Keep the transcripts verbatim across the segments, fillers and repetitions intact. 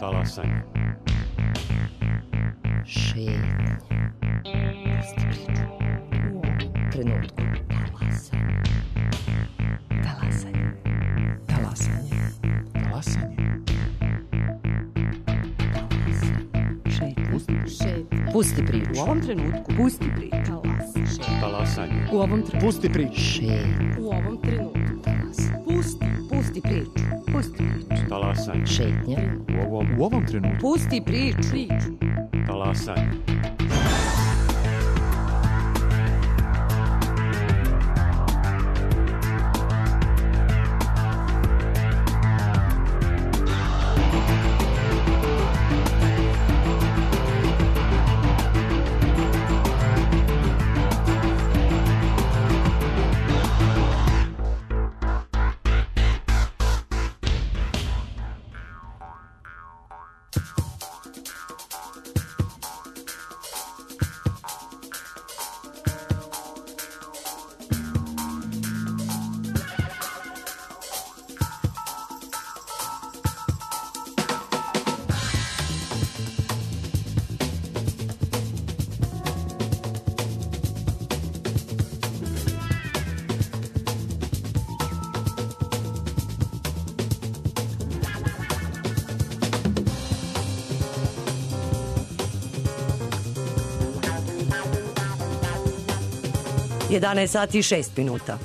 Talasanje. Šetnje. Pusti priču. U ovom trenutku. Talasanje. Talasanje. Talasanje. Talasanje. Šetnje. Pusti priču. U ovom trenutku. Pusti priču. Talasanje. U ovom trenutku. Pusti priču. Šetnje. U ovom trenutku. Pusti. Pusti priču. Pusti priču. Talasanje. Šetnja. U ovom, U ovom trenutku. Pusti priču. Priču. talasanje. jedanaest sati i šest minuta.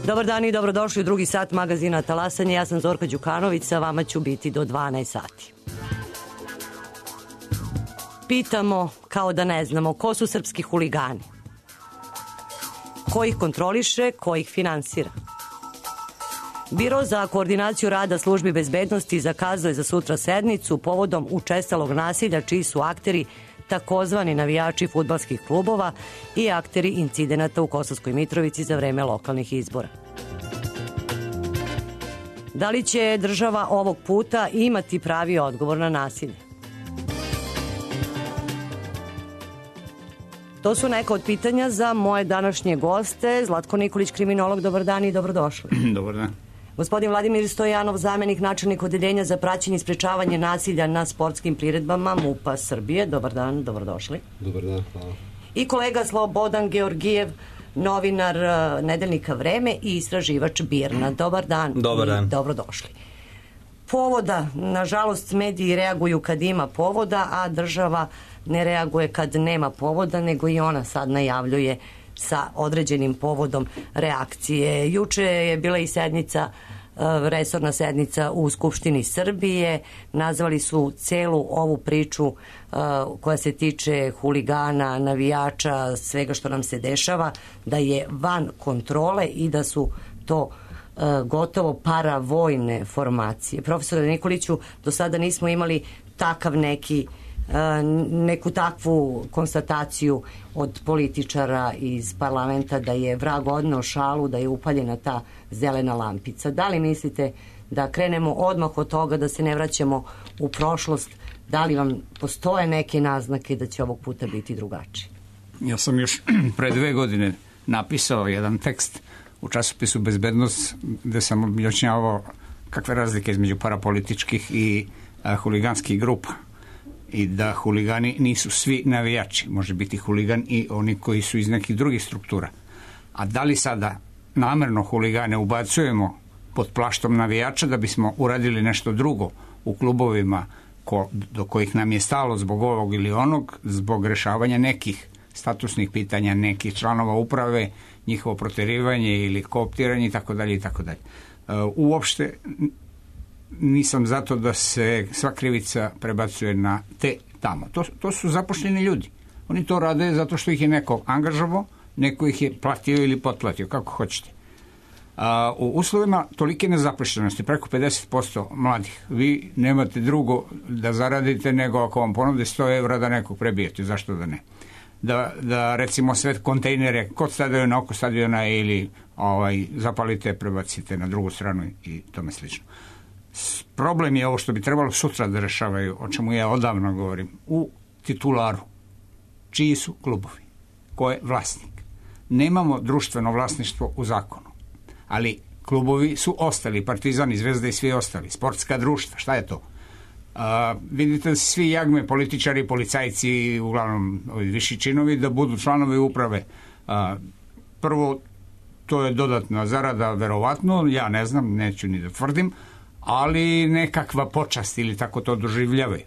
Dobar dan i dobrodošli u drugi sat magazina Talasanje. Ja sam Zorka Đukanović, sa vama ću biti do dvanaest sati. Pitamo, kao da ne znamo, ko su srpski huligani? Ko ih kontroliše, ko ih finansira? Biro za koordinaciju rada službi bezbednosti zakazuje za sutra sednicu povodom učestalog nasilja čiji su akteri takozvani navijači fudbalskih klubova i akteri incidenata u Kosovskoj Mitrovici za vreme lokalnih izbora. Da li će država ovog puta imati pravi odgovor na nasilje? To su neka od pitanja za moje današnje goste. Zlatko Nikolić, kriminolog, dobar dan i dobrodošli. Dobar dan. Gospodin Vladimir Stojanov, zamenik načelnik odeljenja za praćenje i sprečavanje nasilja na sportskim priredbama MUP-a Srbije. Dobar dan, dobrodošli. Dobar dan, hvala. I kolega Slobodan Georgijev, novinar uh, nedeljnika Vreme i istraživač Birna. Dobar dan. Dobar dan. I dobrodošli. Povoda, nažalost, mediji reaguju kad ima povoda, a država ne reaguje kad nema povoda, nego i ona sad najavljuje sa određenim povodom reakcije. Juče je bila i sednica, resorna sednica u Skupštini Srbije. Nazvali su celu ovu priču koja se tiče huligana, navijača, svega što nam se dešava, da je van kontrole i da su to gotovo paravojne formacije. Profesore Nikoliću, do sada nismo imali takav neki neku takvu konstataciju od političara iz parlamenta da je vrag odneo šalu, da je upaljena ta zelena lampica. Da li mislite da krenemo odmah od toga, da se ne vraćamo u prošlost? Da li vam postoje neke naznake da će ovog puta biti drugačije? Ja sam još pre dve godine napisao jedan tekst u časopisu Bezbednost gde sam objašnjavao kakve razlike između parapolitičkih i a, huliganskih grupa. I da huligani nisu svi navijači. Može biti huligan i oni koji su iz nekih drugih struktura. A da li sada namerno huligane ubacujemo pod plaštom navijača da bismo uradili nešto drugo u klubovima ko, do kojih nam je stalo zbog ovog ili onog, zbog rešavanja nekih statusnih pitanja, nekih članova uprave, njihovo proterivanje ili kooptiranje itd. itd. Uopšte nisam zato da se sva krivica prebacuje na te tamo. To, to su zaposleni ljudi. Oni to rade zato što ih je neko angažovao, neko ih je platio ili potplatio, kako hoćete. A, u uslovima tolike nezaposlenosti, preko pedeset posto mladih, vi nemate drugo da zaradite nego ako vam ponude sto evra da nekog prebijete, zašto da ne? Da, da recimo sve kontejnere kod stadiona, oko stadiona ili ovaj, zapalite, prebacite na drugu stranu i tome slično. Problem je ovo što bi trebalo sutra da rešavaju, o čemu ja odavno govorim, u titularu. Čiji su klubovi? Ko je vlasnik? Nemamo društveno vlasništvo u zakonu, ali klubovi su ostali, Partizan i Zvezda i svi ostali, sportska društva, šta je to? A, vidite da svi jagme, političari, policajci, uglavnom ovi viši činovi, da budu članovi uprave. A, prvo, to je dodatna zarada, verovatno, ja ne znam, neću ni da tvrdim, ali nekakva počast ili tako to doživljavaju.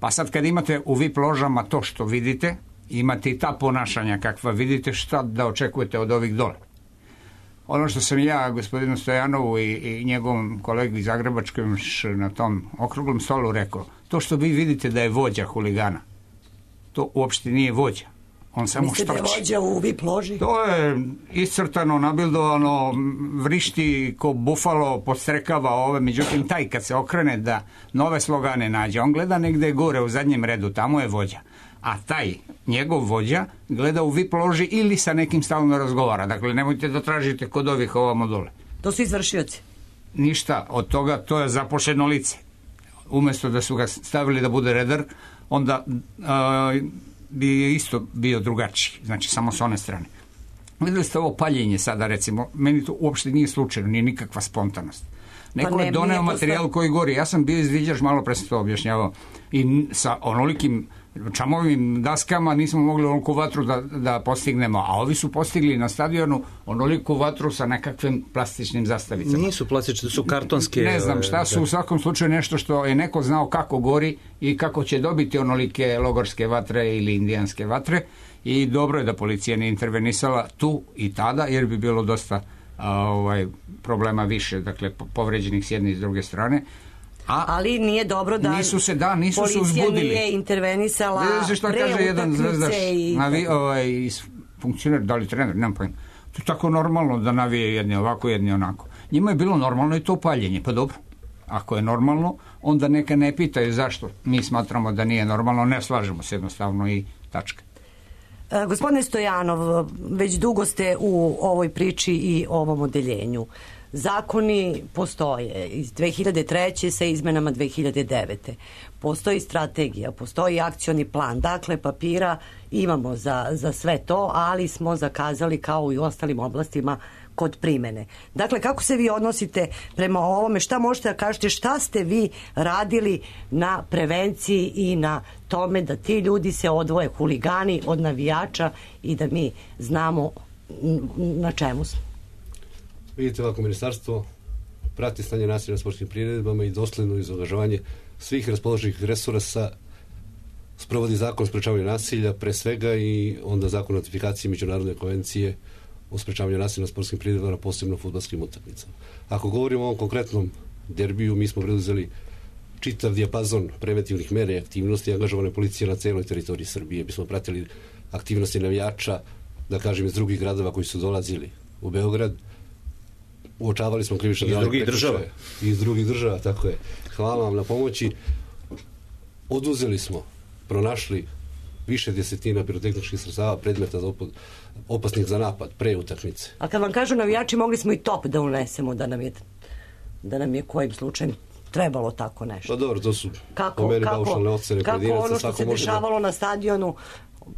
Pa sad kad imate u V I P ložama to što vidite, imate i ta ponašanja kakva vidite, šta da očekujete od ovih dole. Ono što sam ja gospodinu Stojanovu i, i njegovom kolegi Zagrebačkom na tom okruglom stolu rekao, to što vi vidite da je vođa huligana, to uopšte nije vođa. On samo mislite štrči. Da je vođa u V I P loži? To je iscrtano, nabildovano, vrišti ko bufalo, podstrekava ove, međutim taj kad se okrene da nove slogane nađe, on gleda negde gore u zadnjem redu, tamo je vođa. A taj, njegov vođa, gleda u V I P loži ili sa nekim stalno razgovara. Dakle, nemojte da tražite kod ovih ovamo dole. To su izvršioci? Ništa od toga, to je zapošljeno lice. Umesto da su ga stavili da bude redar, onda a, bi isto bio drugačiji. Znači, samo s one strane. Videli ste ovo paljenje sada, recimo, meni to uopšte nije slučajno, nije nikakva spontanost. Neko pa ne, je doneo materijal posto... koji gori. Ja sam bio izviđač, malo pre sam to objašnjavao, i sa onolikim čamovim daskama nismo mogli onoliku vatru da, da postignemo, a ovi su postigli na stadionu onoliku vatru sa nekakvim plastičnim zastavicama. Nisu plastične, su kartonske. Ne znam šta su, u svakom slučaju nešto što je neko znao kako gori i kako će dobiti onolike logorske vatre ili indijanske vatre, i dobro je da policija ne intervenisala tu i tada, jer bi bilo dosta a, ovaj, problema više, dakle povređenih s jedne i s druge strane. A ali nije dobro da nisu se, da, nisu policija se uzbudili. Nije intervenisala pre šta kaže jedan zvezdaš i... navi, ovaj, funkcioner, da li trener, nemam pojma. To je tako normalno da navije jedni ovako, jedni onako. Njima je bilo normalno i to paljenje, pa dobro. Ako je normalno, onda neka ne pitaju zašto. Mi smatramo da nije normalno, ne slažemo se jednostavno i tačka. E, gospodine Stojanov, već dugo ste u ovoj priči i ovom odeljenju. Zakoni postoje iz dve hiljade treće sa izmenama dve hiljade devete. Postoji strategija, postoji akcioni plan. Dakle, papira imamo za, za sve to, ali smo zakazali kao i u ostalim oblastima kod primene. Dakle, kako se vi odnosite prema ovome? Šta možete da kažete? Šta ste vi radili na prevenciji i na tome da ti ljudi se odvoje, huligani od navijača, i da mi znamo na čemu smo? Vidite, ovako, ministarstvo prati stanje nasilja na sportskim priredbama i dosledno izangažovanje svih raspoloženih resursa sprovodi zakon o sprečavanju nasilja, pre svega, i onda zakon o ratifikaciji međunarodne konvencije o sprečavanju nasilja na sportskim priredbama, posebno fudbalskim utakmicama. Ako govorimo o ovom konkretnom derbiju, mi smo preduzeli čitav dijapazon preventivnih mera i aktivnosti, angažovane policije na celoj teritoriji Srbije. Mi smo pratili aktivnosti navijača, da kažem, iz drugih gradova koji su dolazili u Beograd. Uočavali smo krivične iz drugih država. Iz drugih država, tako je. Hvala vam na pomoći. Oduzeli smo, pronašli više desetina pirotehničkih sredstava, predmeta za opasnih za napad pre utakmice. A kad vam kažu navijači, mogli smo i top da unesemo, da nam je, da nam je kojim slučajem trebalo tako nešto. Pa dobro, to su kako, po meni kako, paušalne ocene kako pojedinaca. Ono što se dešavalo da... na stadionu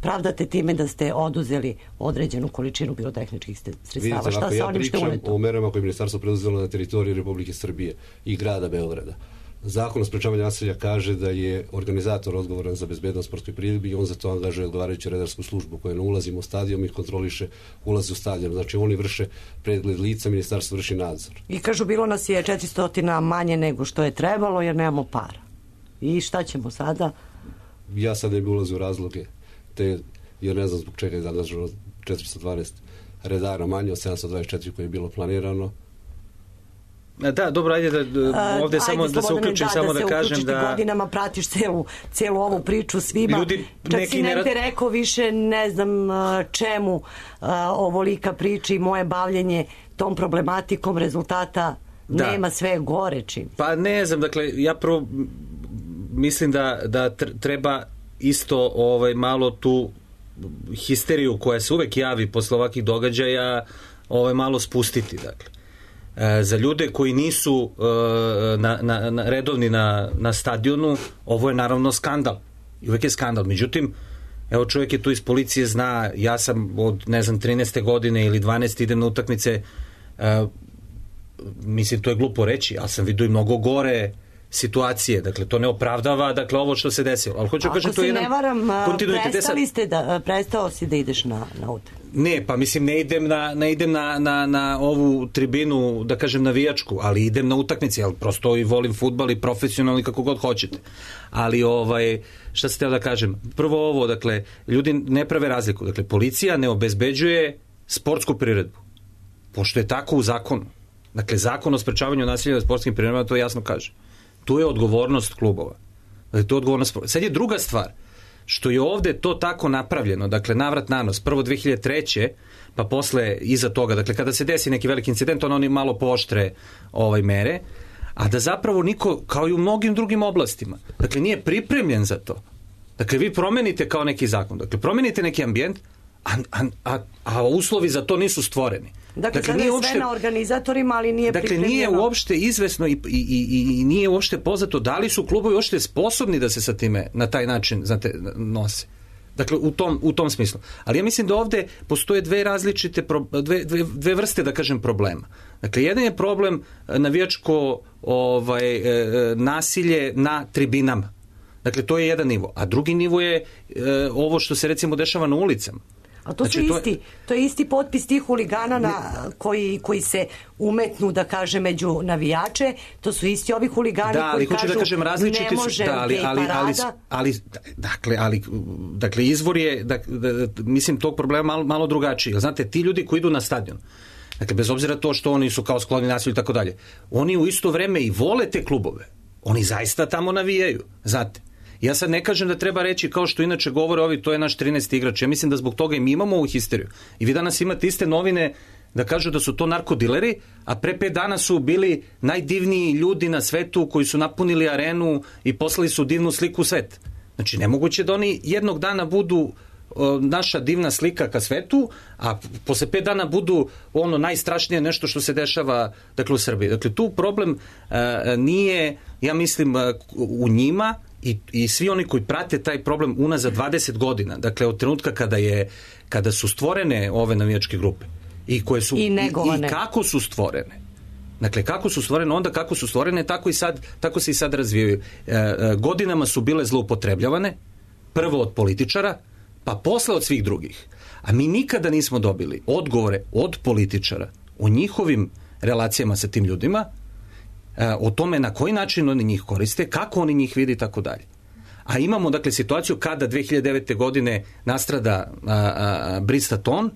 pravdate time da ste oduzeli određenu količinu pirotehničkih sredstava. Vidite, šta sa ja onim što je uneto? Pričam o merama koje je ministarstvo preduzelo na teritoriji Republike Srbije i grada Beograda. Zakon o sprečavanju nasilja kaže da je organizator odgovoran za bezbednost sportskoj priredbi i on za to angažuje odgovarajuću redarsku službu koja ne ulazimo u stadion i kontroliše ulaz u stadion. Znači oni vrše pregled lica, ministarstvo vrši nadzor. I kažu, bilo nas je četiristo manje nego što je trebalo jer nemamo para. I šta ćemo sada? Ja sad ne bi ulazio u razloge, te, jer ne znam zbog čega je angažovano četiristo dvanaest redara manje od sedamsto dvadeset četiri koje je bilo planirano. Da, dobro, ajde da ovde uh, samo ajde, da se uključim, da, samo da, da kažem da... godinama pratiš celu, celu ovu priču svima. Ljudi, čak si negde ne... rekao više, ne znam čemu uh, ovolika priča i moje bavljenje tom problematikom, rezultata da. Nema, sve gore čim. Pa ne znam, dakle, ja prvo mislim da, da treba isto ovaj, malo tu histeriju koja se uvek javi posle ovakvih događaja ovaj, malo spustiti, dakle. E, za ljude koji nisu e, na, na, na, redovni na, na stadionu, ovo je naravno skandal. I uvek je skandal. Međutim, evo čovjek je tu iz policije, zna, ja sam od, ne znam, trinaeste godine ili dvanaeste idem na utakmice, e, mislim, to je glupo reći, ali sam vidio i mnogo gore situacije, dakle to ne opravdava dakle ovo što se desilo, ali hoću kažem to je jedan kontinuitet. Ako se ne varam, kontinuitet. prestali ste da, prestao si da ideš na, na utakmicu. Ne, pa mislim ne idem na, ne idem na, na, na ovu tribinu, da kažem navijačku, ali idem na utakmice, ali prosto i volim fudbal i profesionalno i kako god hoćete. Ali ovaj, šta se teo da kažem, prvo ovo, dakle, ljudi ne prave razliku, dakle, policija ne obezbeđuje sportsku priredbu, pošto je tako u zakonu. Dakle, zakon o sprečavanju nasilja na sportskim priredbama to jasno kaže. Tu je odgovornost klubova. Dakle, to je odgovornost. Sad je druga stvar, što je ovde to tako napravljeno, dakle, navrat nanos, prvo dve hiljade treće pa posle iza toga, dakle, kada se desi neki veliki incident, on oni malo pooštre ovaj, mere, a da zapravo niko, kao i u mnogim drugim oblastima, dakle, nije pripremljen za to. Dakle, vi promenite kao neki zakon, dakle, promenite neki ambijent, a, a, a, a uslovi za to nisu stvoreni. Dakle, dakle nije je uopšte, sve na organizatorima, ali nije dakle, pripremljeno. Dakle, nije uopšte izvesno i, i, i, i nije uopšte poznato da li su klubovi uopšte sposobni da se sa time na taj način znate, nose. Dakle, u tom, u tom smislu. Ali ja mislim da ovde postoje dve različite, dve, dve, dve vrste, da kažem, problema. Dakle, jedan je problem navijačko ovaj, nasilje na tribinama. Dakle, to je jedan nivo. A drugi nivo je ovo što se recimo dešava na ulicama. A to, znači, su isti, to, je... to je isti potpis tih huligana na, koji, koji se umetnu, da kaže, među navijače, to su isti ovi huligani da, koji kažu da kažem, ne može da, ali, ali, ali, ali, dakle, ali, dakle, izvor je, da, da, da, mislim, tog problema malo, malo drugačiji. Znate, ti ljudi koji idu na stadion, dakle, bez obzira to što oni su kao skloni nasilju i tako dalje, oni u isto vreme i vole te klubove. Oni zaista tamo navijaju, znate. Ja sad ne kažem da treba reći kao što inače govore ovi, to je naš trinaesti igrač. Ja mislim da zbog toga i mi imamo ovu histeriju. I vi danas imate iste novine da kažu da su to narkodileri, a pre pet dana su bili najdivniji ljudi na svetu koji su napunili arenu i poslali su divnu sliku u svet. Znači, nemoguće da oni jednog dana budu o, naša divna slika ka svetu, a posle pet dana budu ono najstrašnije nešto što se dešava, dakle, u Srbiji. Dakle, tu problem a, nije, ja mislim, a, u njima, I, i svi oni koji prate taj problem unazad dvadeset godina, dakle od trenutka kada je kada su stvorene ove navijačke grupe i koje su i, i, i kako su stvorene. Dakle, kako su stvorene, onda kako su stvorene, tako i sad, tako se i sad razvijaju. E, e, godinama su bile zloupotrebljavane, prvo od političara, pa posle od svih drugih. A mi nikada nismo dobili odgovore od političara o njihovim relacijama sa tim ljudima, o tome na koji način oni njih koriste, kako oni njih vidi i tako dalje. A imamo, dakle, situaciju kada dve hiljade devete. godine nastrada a, a, Brista Ton,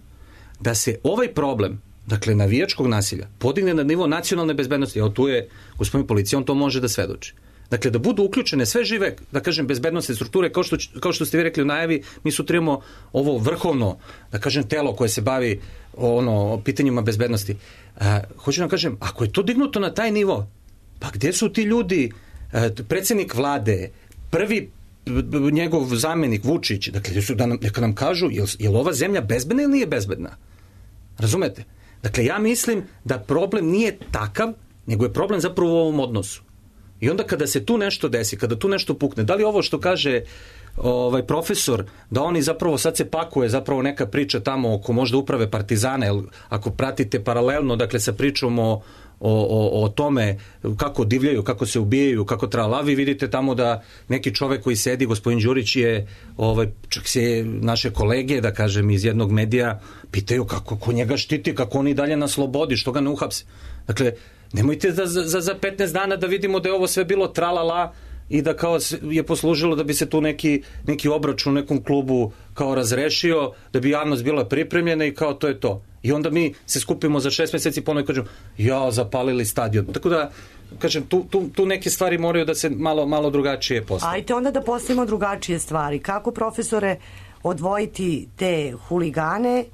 da se ovaj problem, dakle, navijačkog nasilja podigne na nivo nacionalne bezbednosti. Evo, tu je gospodin policija, on to može da svedoči. Dakle, da budu uključene sve žive, da kažem, bezbednostne strukture, kao što, kao što ste vi rekli u najavi, mi sutra imamo ovo vrhovno, da kažem, telo koje se bavi ono, pitanjima bezbednosti. A, hoću da kažem, ako je to dignuto na taj nivo, pa gde su ti ljudi, predsjednik vlade, prvi njegov zamenik Vučić, dakle, su da nam, neka nam kažu, je li, je li ova zemlja bezbedna ili nije bezbedna? Razumete? Dakle, ja mislim da problem nije takav, nego je problem zapravo u ovom odnosu. I onda kada se tu nešto desi, kada tu nešto pukne, da li ovo što kaže ovaj profesor, da oni zapravo sad se pakuje zapravo neka priča tamo oko možda uprave Partizana, jer ako pratite paralelno, dakle, sa pričom o O, o, o tome kako divljaju, kako se ubijaju, kako trala, vi vidite tamo da neki čovek koji sedi, gospodin Đurić je, ovaj, čak se naše kolege, da kažem, iz jednog medija pitaju kako ko njega štiti, kako oni dalje na slobodi, što ga ne uhapse. Dakle, nemojte da za, za petnaest dana da vidimo da je ovo sve bilo tralala i da kao je poslužilo da bi se tu neki, neki obračun u nekom klubu kao razrešio, da bi javnost bila pripremljena i kao to je to. I onda mi se skupimo za šest meseci ponovno i kažemo, ja, zapalili stadion. Tako da, kažem, tu, tu, tu neke stvari moraju da se malo, malo drugačije postavljaju. Ajte onda da postavimo drugačije stvari. Kako, profesore, odvojiti te huligane,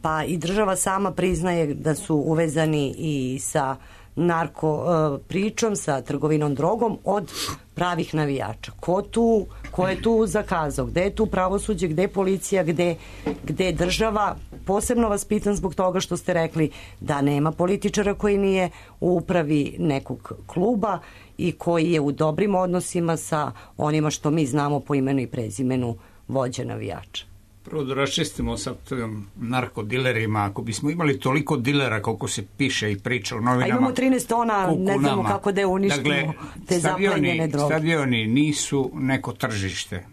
pa i država sama priznaje da su uvezani i sa narko uh, pričom, sa trgovinom drogom, od pravih navijača. Ko tu, ko je tu zakazao? Gde je tu pravosuđe, gde je policija, gde, gde je država? Posebno vas pitam zbog toga što ste rekli da nema političara koji nije u upravi nekog kluba i koji je u dobrim odnosima sa onima što mi znamo po imenu i prezimenu vođe navijača. Prvo da raščistimo sa narkodilerima. Ako bismo imali toliko dilera koliko se piše i priča u novinama... A imamo trinaest tona, ne znamo nama. kako da je uništimo dakle, te zaplenjene droge. Stadioni nisu neko tržište.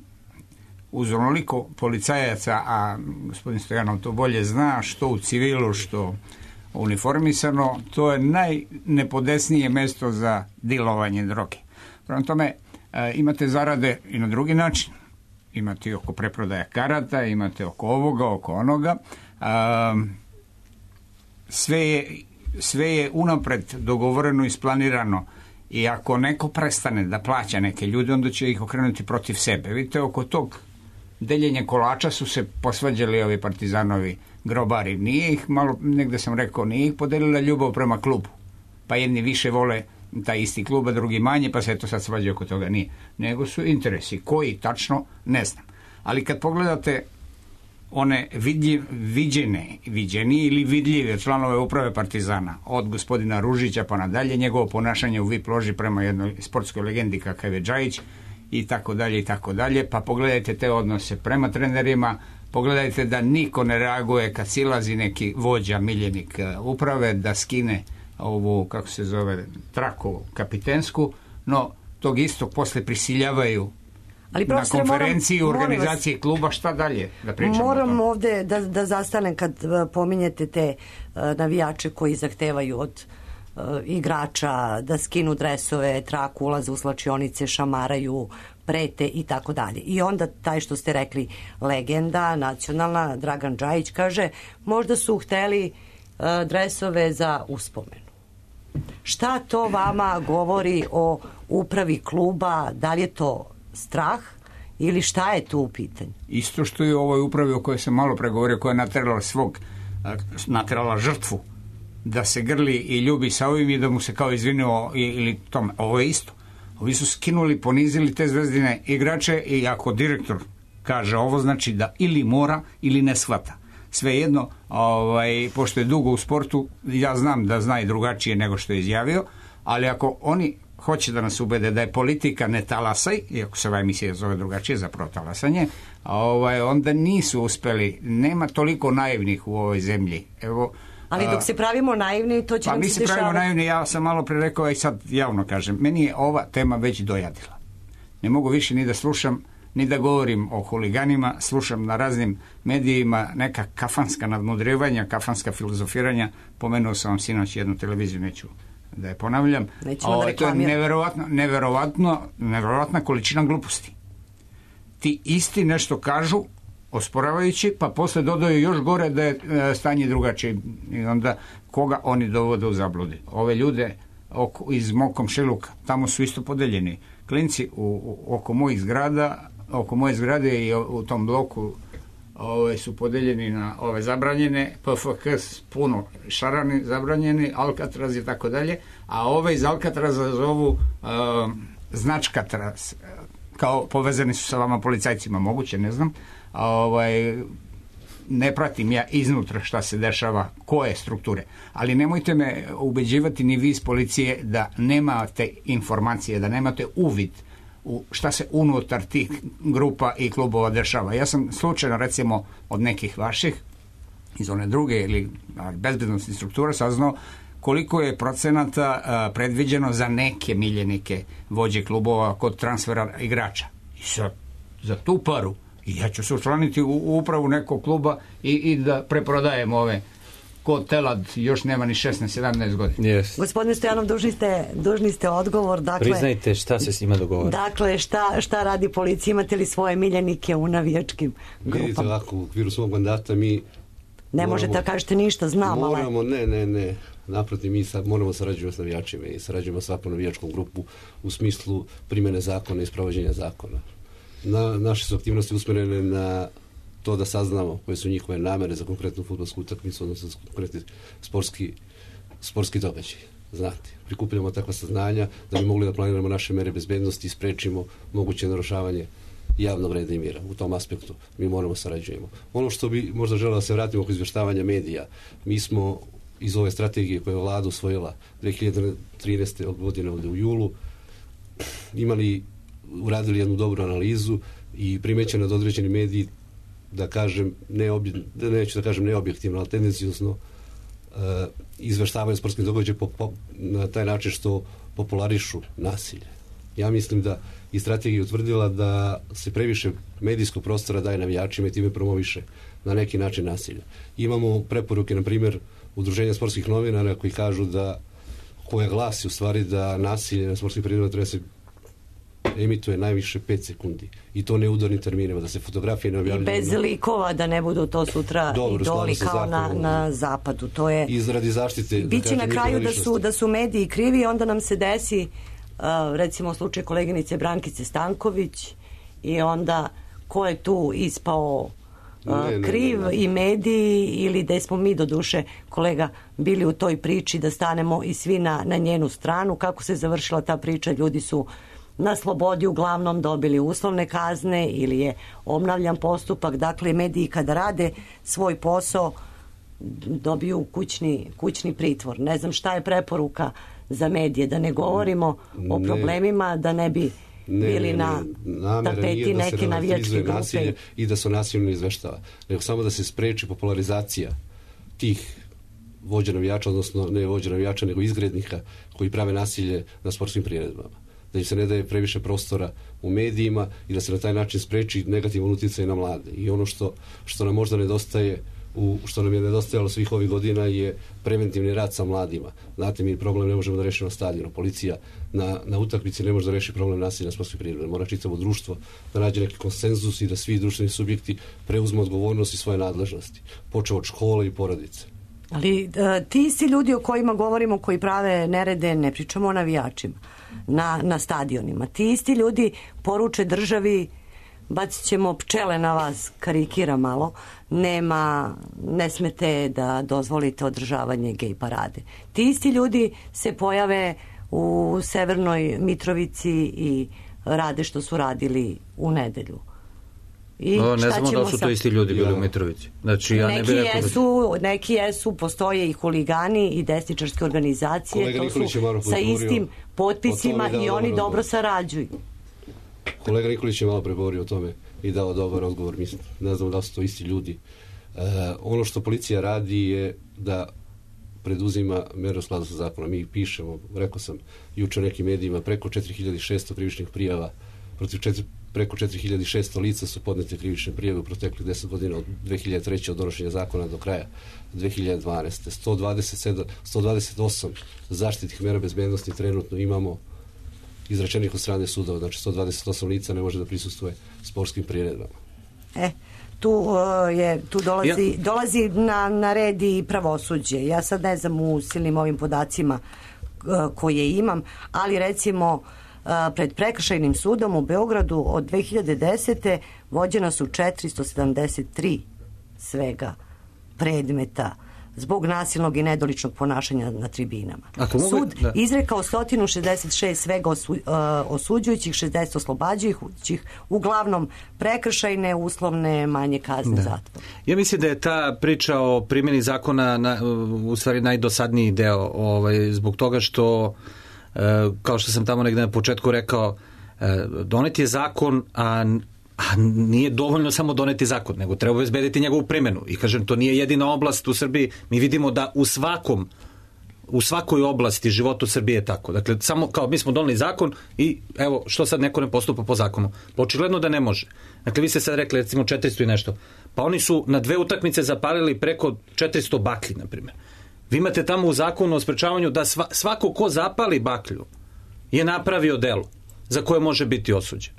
Uz onoliko policajaca, a gospodin Stojanov to bolje zna, što u civilu, što uniformisano, to je najnepodesnije mesto za dilovanje droge. Prema tome, e, imate zarade i na drugi način. Imate oko preprodaja karata, imate oko ovoga, oko onoga. Um, sve, je, sve je unapred dogovoreno i isplanirano i ako neko prestane da plaća neke ljude, onda će ih okrenuti protiv sebe. Vidite, oko tog deljenja kolača su se posvađali ovi partizanovi grobari. Nije ih, malo negde sam rekao, nije ih podelila ljubav prema klubu. Pa jedni više vole taj isti klub, a drugi manje, pa se eto sad svađa oko toga. Nije. Nego su interesi. Koji tačno, ne znam. Ali kad pogledate one vidljiv, viđene, viđeni ili vidljive članove uprave Partizana, od gospodina Ružića pa nadalje, njegovo ponašanje u V I P loži prema jednoj sportskoj legendi kakav je Džajić, i tako dalje, i tako dalje, pa pogledajte te odnose prema trenerima, pogledajte da niko ne reaguje kad silazi neki vođa, miljenik uprave, da skine ovu, kako se zove, traku kapitensku, no tog istog posle prisiljavaju ali na konferenciji moram, organizacije vas, kluba, šta dalje da pričamo. Moram ovde da, da zastanem kad pominjete te uh, navijače koji zahtevaju od uh, igrača da skinu dresove, traku, ulaze u slačionice, šamaraju, prete i tako dalje. I onda taj što ste rekli legenda nacionalna, Dragan Džajić, kaže možda su hteli uh, dresove za uspomenu. Šta to vama govori o upravi kluba? Da li je to strah ili šta je tu u pitanju? Isto što je u ovoj upravi o kojoj sam malo pregovorio, koja je naterala svog, naterala žrtvu da se grli i ljubi sa ovim i da mu se kao izvinio ili tome. Ovo je isto. Ovi su skinuli, ponizili te zvezdine igrače i ako direktor kaže ovo, znači da ili mora ili ne shvata. Svejedno, ovaj, pošto je dugo u sportu, ja znam da zna i drugačije nego što je izjavio, ali ako oni hoće da nas ubede da je politika ne talasaj, iako se ova emisija zove drugačije, zapravo talasanje, ovaj, onda nisu uspeli. Nema toliko naivnih u ovoj zemlji. Evo, ali dok se pravimo naivni, to će pa nam mi se se pravimo dešavati. naivni, ja sam malo pre rekao i sad javno kažem, meni je ova tema već dojadila. Ne mogu više ni da slušam, ni da govorim o huliganima, slušam na raznim medijima neka kafanska nadmudrivanja, kafanska filozofiranja. Pomenuo sam vam sinoć jednu televiziju, neću da je ponavljam. Nećemo da to je neverovatno, neverovatno, neverovatna količina gluposti. Ti isti nešto kažu, osporavajući, pa posle dodaju još gore da je e, stanje drugačije. I onda koga oni dovode u zabludi? Ove ljude oko, iz mog komšiluka, tamo su isto podeljeni. Klinci u, u, oko mojih zgrada, oko moje zgrade i u, u tom bloku ove, su podeljeni na ove zabranjene, P F K puno šarani zabranjeni, Alcatraz i tako dalje, a ove iz Alcatraza zovu uh, značkatraz, kao povezani su sa vama policajcima, moguće, ne znam, a ovaj, ne pratim ja iznutra šta se dešava, koje strukture, ali nemojte me ubeđivati ni vi iz policije da nemate informacije, da nemate uvid u šta se unutar tih grupa i klubova dešava. Ja sam slučajno, recimo, od nekih vaših iz one druge ili bezbednostnih struktura saznao koliko je procenata a, predviđeno za neke miljenike vođe klubova kod transfera igrača. I sad, za tu paru i ja ću se učlaniti u, u upravu nekog kluba i, i da preprodajem ove kod Telad, još nema ni šesnaest sedamnaest godina. Yes. Gospodine Stojanov, dužni ste, dužni ste odgovor. Dakle, priznajte šta se s njima dogovara. Dakle, šta, šta radi policija? Imate li svoje miljenike u navijačkim grupama? Vidite, ovako, u okviru svog mandata mi ne moramo, možete da kažete ništa, znam, ali... Moramo, ne, ne, ne. Naprotiv, mi sad moramo sarađivati s navijačima i sarađujemo svakom navijačkom grupu u smislu primjene zakona i sprovođenja zakona. Na, naše su aktivnosti usmjerene na to da saznamo koje su njihove namere za konkretnu fudbalsku utakmicu, odnosno za konkretni sportski, sportski događaj. Znate, prikupljamo takva saznanja da bi mogli da planiramo naše mere bezbednosti i sprečimo moguće narušavanje javnog reda i mira. U tom aspektu mi moramo sarađujemo. Ono što bi možda želeo da se vratimo oko izvještavanja medija, mi smo iz ove strategije koje je vlada usvojila dve hiljade trinaeste godine ovde u julu imali, uradili jednu dobru analizu i primećeno da određeni mediji da kažem, neobje, neću da kažem neobjektivno, ali tendencijosno uh, izveštavaju sportski događaj po, po, na taj način što popularišu nasilje. Ja mislim da i strategija utvrdila da se previše medijskog prostora daje navijačima i time promoviše na neki način nasilje. Imamo preporuke, na primjer, Udruženja sportskih novinara koji kažu da, koja glasi u stvari da nasilje na sportskim priredbama treba se emituje najviše pet sekundi. I to ne u udarnim terminima, da se fotografije ne objavljaju. I bez likova, da ne budu to sutra Dobro, idoli kao na, na zapadu. To je... Izradi zaštite... Biće da na kraju da su, da su mediji krivi, onda nam se desi uh, recimo slučaj koleginice Brankice Stanković i onda ko je tu ispao uh, ne, ne, kriv ne, ne, ne. i mediji ili da smo mi do duše kolega bili u toj priči da stanemo i svi na, na njenu stranu. Kako se završila ta priča? Ljudi su na slobodi uglavnom dobili uslovne kazne ili je obnavljan postupak. Dakle, mediji kada rade svoj posao dobiju kućni, kućni pritvor. Ne znam šta je preporuka za medije, da ne govorimo ne, o problemima, da ne bi ne, bili ne, na ne, tapeti da neke navijačke grupe. I da se nasilno izveštava. Nego samo da se spreči popularizacija tih vođa navijača, odnosno ne vođa navijača, nego izgrednika koji prave nasilje na sportskim priredbama. Da im se ne daje previše prostora u medijima i da se na taj način spreči negativan utjecaj na mlade. I ono što, što nam možda nedostaje, u, što nam je nedostajalo svih ovih godina je preventivni rad sa mladima. Znate, mi problem ne možemo da rešimo na stadionu. Policija na, na utakmici ne može da reši problem nasilja na sportskoj priredbi. Mora čitavo društvo da nađe neki konsenzus i da svi društveni subjekti preuzmu odgovornost i svoje nadležnosti. Počeo od škole i porodice. Ali ti si ljudi o kojima govorimo, koji prave nerede, ne pričamo o navijačima na, na stadionima. Ti isti ljudi poruče državi bacit ćemo pčele na vas, karikira malo, nema, ne smete da dozvolite održavanje gej parade. Ti isti ljudi se pojave u Severnoj Mitrovici i rade što su radili u nedelju. I no, ne znamo da su to isti ljudi bili ja. u Mitrovici. Znači, ja neki, ne bih jesu, da... neki jesu, postoje i huligani i desničarske organizacije. Kolega to su sa istim potpisima i oni dobro odgovor. sarađuju. Kolega Nikolić je malo pregovorio o tome i dao dobar odgovor. Mislim, ne znam da su to isti ljudi. E, ono što policija radi je da preduzima mere u skladu sa zakonom. Mi pišemo, rekao sam juče nekim medijima, preko četiri hiljade šesto krivičnih prijava protiv četiri preko četiri hiljade šesto lica su podnete krivične prijave u proteklih deset godina od dve hiljade treće od donošenja zakona do kraja dve hiljade dvanaeste. sto dvadeset sedam, sto dvadeset osam zaštitnih mera bezbednosti trenutno imamo izrečenih od strane sudova. Znači sto dvadeset osam lica ne može da prisustvuje sportskim priredbama. E, tu, uh, je, tu dolazi, ja. dolazi na, na red i pravosuđe. Ja sad ne znam u silnim ovim podacima uh, koje imam, ali recimo pred prekršajnim sudom u Beogradu od dve hiljade desete vođena su četiristo sedamdeset tri svega predmeta zbog nasilnog i nedoličnog ponašanja na tribinama. Mogu, Sud da. izrekao sto šezdeset šest svega osu, uh, osuđujućih, šezdeset oslobađajućih, uglavnom prekršajne, uslovne, manje kazne zatvora. Ja mislim da je ta priča o primjeni zakona na, u stvari najdosadniji deo, ovaj, zbog toga što kao što sam tamo negde na početku rekao, doneti je zakon, a, a nije dovoljno samo doneti zakon, nego treba obezbediti njegovu primjenu. I kažem, to nije jedina oblast u Srbiji. Mi vidimo da u svakom u svakoj oblasti života Srbije je tako. Dakle, samo kao mi smo doneli zakon i evo, što sad neko ne postupa po zakonu? Očigledno da ne može. Dakle, vi ste sad rekli, recimo, četiristo i nešto. Pa oni su na dve utakmice zapalili preko četiristo baklji, na primjer. Vi imate tamo u zakonu o sprečavanju da sva, svako ko zapali baklju je napravio delo za koje može biti osuđen.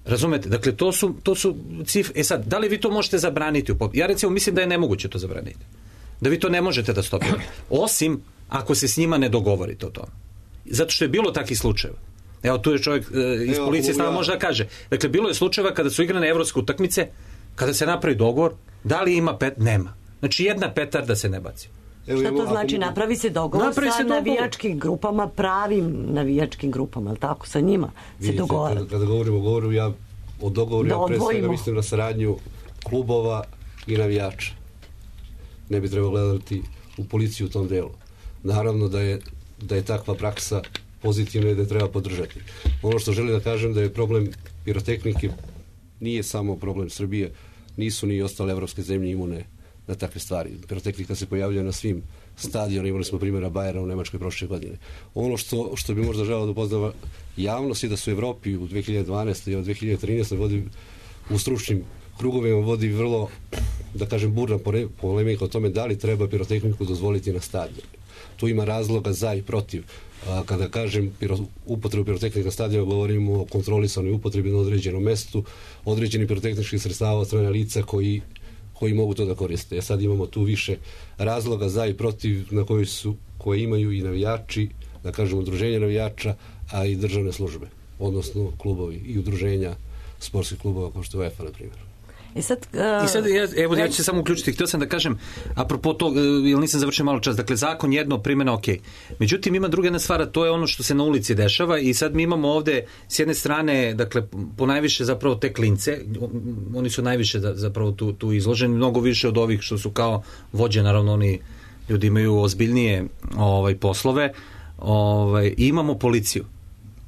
Razumete? Dakle, to su, to su cifre. E sad, da li vi to možete zabraniti? Ja recimo mislim da je nemoguće to zabraniti. Da vi to ne možete da stopite. Osim ako se s njima ne dogovorite o tome. Zato što je bilo takih slučajeva. Evo, tu je čovjek e, iz policije stava može da kaže. Dakle, bilo je slučajeva kada su igrane evropske utakmice, kada se napravi dogovor, da li ima pet? Nema. Znači, jedna petarda se ne baci. Evo, šta to znači? Napravi se dogovor napravi sa se navijačkim dogovor. grupama, pravim navijačkim grupama, ali tako, sa njima se dogovara. Kada, kada govorimo o govoru, ja o dogovoru, da ja pre svega mislim na saradnju klubova i navijača. Ne bi trebalo gledati u policiju u tom delu. Naravno da je, da je takva praksa pozitivna i da je treba podržati. Ono što želim da kažem da je problem pirotehnike nije samo problem Srbije, nisu ni ostale evropske zemlje imune na takve stvari. Pirotehnika se pojavljuje na svim stadionima, imali smo primjera Bajera u Nemačkoj prošle godine. Ono što, što bi možda želeo da upoznava javnost je da su u Evropi u dve hiljade dvanaeste i od dve hiljade trinaeste vodi u stručnim krugovima vodi vrlo, da kažem, burna polemika o tome da li treba pirotehniku dozvoliti na stadionu. Tu ima razloga za i protiv. A, kada kažem piro, upotrebu pirotehnika na stadionu, govorimo o kontrolisanoj upotrebi na određenom mestu, određenih pirotehničkih sredstava od strane lica koji koji mogu to da koriste. Ja sad imamo tu više razloga za i protiv na koji su, koje imaju i navijači, da kažem udruženja navijača, a i državne službe, odnosno klubovi i udruženja sportskih klubova kao što je UEFA, na primjer. I sad, uh, I sad ja, evo, ja ću se samo uključiti. Htio sam da kažem, apropo to, jer nisam završio malo čas, dakle, zakon jedno, primjena ok. Međutim, ima druga jedna stvar, to je ono što se na ulici dešava i sad mi imamo ovde, s jedne strane, dakle, ponajviše zapravo te klince, oni su najviše zapravo tu, tu izloženi, mnogo više od ovih što su kao vođe, naravno, oni ljudi imaju ozbiljnije ovaj, poslove, ovaj, i imamo policiju.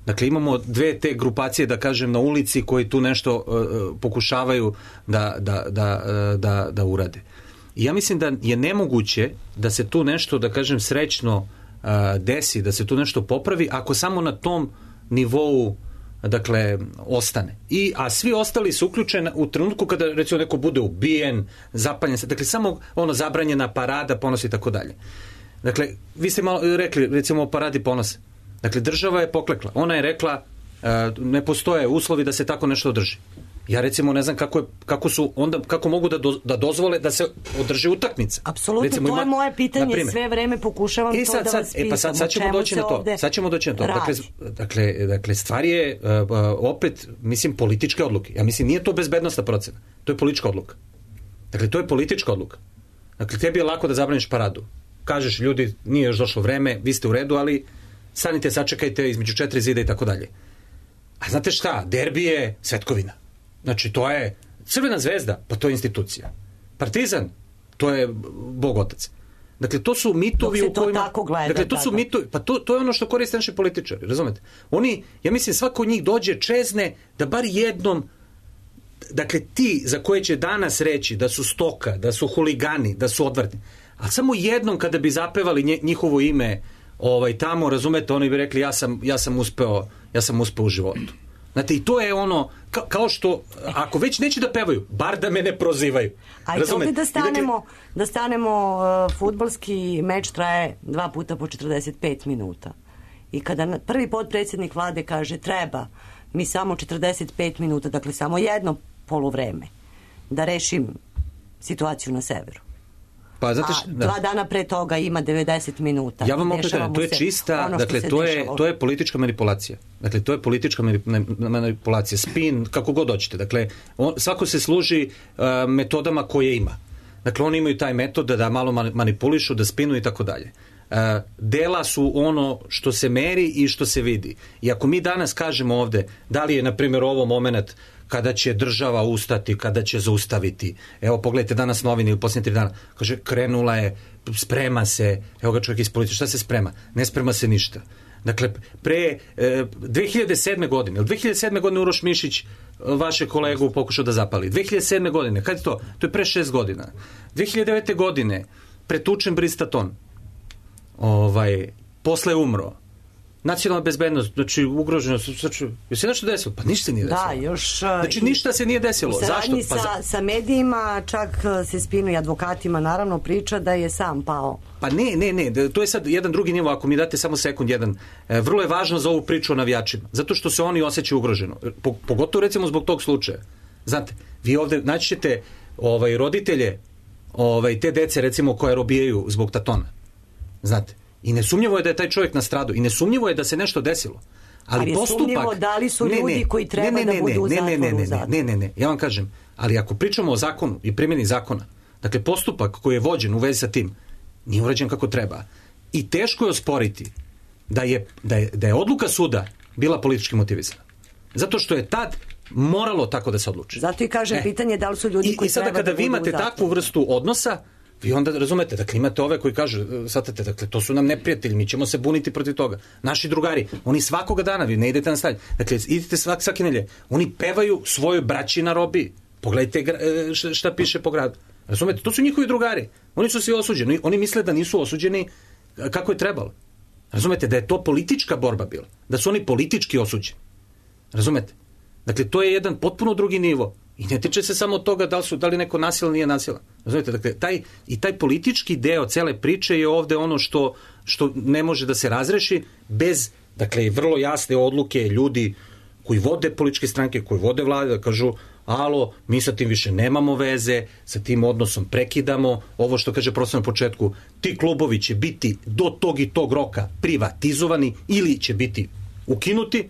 Dakle, imamo dve te grupacije, da kažem, na ulici koji tu nešto uh, pokušavaju da, da, da, uh, da, da urade. I ja mislim da je nemoguće da se tu nešto, da kažem, srećno uh, desi, da se tu nešto popravi, ako samo na tom nivou, dakle, ostane. I, a svi ostali su uključeni u trenutku kada, recimo, neko bude ubijen, zapaljen se, dakle, samo ono zabranjena parada, ponos i tako dalje. Dakle, vi ste malo rekli, recimo, o paradi ponosa. Dakle, država je poklekla. Ona je rekla, uh, ne postoje uslovi da se tako nešto održi. Ja recimo ne znam kako, je, kako su onda kako mogu da, do, da dozvole da se održi utakmica. Apsolutno, recimo, to ima, je moje pitanje, sve vreme pokušavam e, sad, to da vas sad, pitam. E pa sad, sad ćemo doći na to. Sad ćemo doći na to. Dakle, dakle, dakle, stvar je uh, opet, mislim, političke odluke. Ja mislim, nije to bezbednosna procena. To je politička odluka. Dakle, to je politička odluka. Dakle, tebi je lako da zabraniš paradu. Kažeš, ljudi, nije još došlo vreme, vi ste u redu, ali stanite, sačekajte između četiri zida i tako dalje. A znate šta? Derbi je svetkovina. Znači, to je Crvena zvezda, pa to je institucija. Partizan, to je Bog otac. Dakle, to su mitovi u kojima... Gleda, dakle, to su tako. mitovi, pa to, to je ono što koriste naši političari, razumete? Oni, ja mislim, svako od njih dođe čezne da bar jednom, dakle, ti za koje će danas reći da su stoka, da su huligani, da su odvratni, a samo jednom kada bi zapevali nje, njihovo ime ovaj, tamo, razumete, oni bi rekli ja sam, ja sam uspeo, ja sam uspeo u životu. Znate, i to je ono, ka, kao što, ako već neće da pevaju, bar da me ne prozivaju. Ajde ovdje da stanemo, dakle, da stanemo, uh, fudbalski meč traje dva puta po četrdeset pet minuta. I kada prvi potpredsjednik vlade kaže treba mi samo četrdeset pet minuta, dakle samo jedno poluvreme, da rešim situaciju na severu. Pa, znate, a dva dana pre toga ima devedeset minuta. Ja vam opet to je čista, dakle, to je, to je politička manipulacija. Dakle, to je politička manipulacija, spin, kako god hoćete. Dakle, on, svako se služi uh, metodama koje ima. Dakle, oni imaju taj metod da, da malo manipulišu, da spinu i tako dalje. Uh, dela su ono što se meri i što se vidi. I ako mi danas kažemo ovde, da li je, na primjer, ovo moment kada će država ustati, kada će zaustaviti. Evo, pogledajte danas novine u posljednje tri dana. Kaže, krenula je, sprema se, evo ga čovjek iz policije, šta se sprema? Ne sprema se ništa. Dakle, pre e, dve hiljade sedme godine, ili dve hiljade sedme godine Uroš Mišić vaše kolegu pokušao da zapali. dve hiljade sedme godine, kad je to? To je pre šest godina. dve hiljade devete godine pretučen Bristaton. Ovaj, posle umro. Nacionalna bezbednost, znači ugroženo, znači, je se nešto desilo? Pa ništa se nije desilo. Da, još... Znači ništa se nije desilo. Zašto? Pa sa, sa medijima, čak se spinu i advokatima, naravno, priča da je sam pao. Pa ne, ne, ne, to je sad jedan drugi nivo, ako mi date samo sekund jedan. E, vrlo je važno za ovu priču o navijačima, zato što se oni osjećaju ugroženo. Po, pogotovo recimo zbog tog slučaja. Znate, vi ovde naći ćete ovaj, roditelje ovaj, te dece recimo koje robijaju zbog tatona. Znate. I nesumnjivo je da je taj čovjek nastradao. I nesumnjivo je da se nešto desilo. Ali, ali postupak... da li su ljudi ne, ne, koji treba ne, ne, ne, da budu u zatvoru? Ne, ne, ne, ne, ne, ne, ne, ja vam kažem. Ali ako pričamo o zakonu i primjeni zakona, dakle postupak koji je vođen u vezi sa tim, nije urađen kako treba. I teško je osporiti da je, da je, da je odluka suda bila politički motivisana. Zato što je tad moralo tako da se odluči. Zato i kažem e. pitanje da li su ljudi I, koji i sada treba kada da vi budu imate takvu vrstu odnosa, vi onda razumete, dakle imate ove koji kažu, shvatate, dakle to su nam neprijatelji, mi ćemo se buniti protiv toga. Naši drugari, oni svakoga dana, vi ne idete na stadion, dakle idete svak, svake nelje, oni pevaju svojoj braći na robiji. Pogledajte šta piše po gradu. Razumete, to su njihovi drugari. Oni su svi osuđeni. Oni misle da nisu osuđeni kako je trebalo. Razumete, da je to politička borba bila. Da su oni politički osuđeni. Razumete? Dakle, to je jedan potpuno drugi nivo. I ne tiče se samo od toga da li, su, da li neko nasilan, nije nasilan. Razumete, dakle, taj, i taj politički deo cele priče je ovde ono što, što ne može da se razreši bez, dakle, vrlo jasne odluke ljudi koji vode političke stranke, koji vode vlade, da kažu, alo, mi sa tim više nemamo veze, sa tim odnosom prekidamo, ovo što kaže profesor na početku, ti klubovi će biti do tog i tog roka privatizovani ili će biti ukinuti,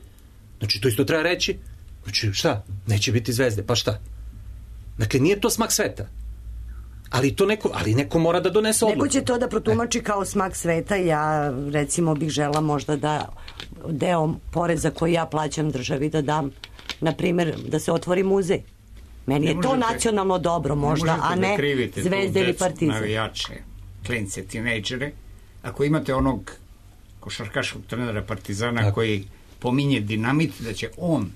znači to isto treba reći, znači šta, neće biti zvezde, pa šta? Dakle, nije to smak sveta. Ali to neko, ali neko mora da donese odluku. Neko će to da protumači kao smak sveta. Ja, recimo, bih žela možda da deo poreza koji ja plaćam državi da dam, na primjer, da se otvori muzej. Meni je to nacionalno dobro možda, a ne Zvezde ili Partizan. Navijače, klince, tinejdžere, ako imate onog košarkaškog trenera Partizana tako, koji pominje dinamit, da će on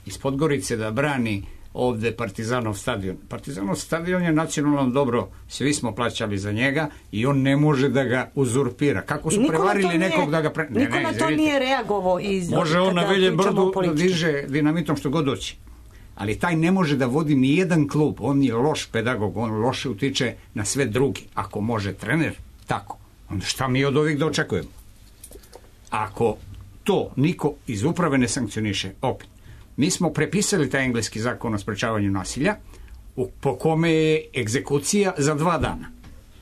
iz Podgorice da brani ovde Partizanov stadion. Partizanov stadion je nacionalno dobro, svi smo plaćali za njega i on ne može da ga uzurpira. Kako su prevarili nekog da ga... Pre... Niko ne, ne, na to nije reagovao iz... Može on na Velje Brdu da diže dinamitom što god doći. Ali taj ne može da vodi ni jedan klub. On je loš pedagog, on loše utiče na sve drugi. Ako može trener, tako. Onda šta mi od ovih da očekujemo? Ako to niko iz uprave ne sankcioniše, opet, mi smo prepisali taj engleski zakon o sprečavanju nasilja po kome je egzekucija za dva dana.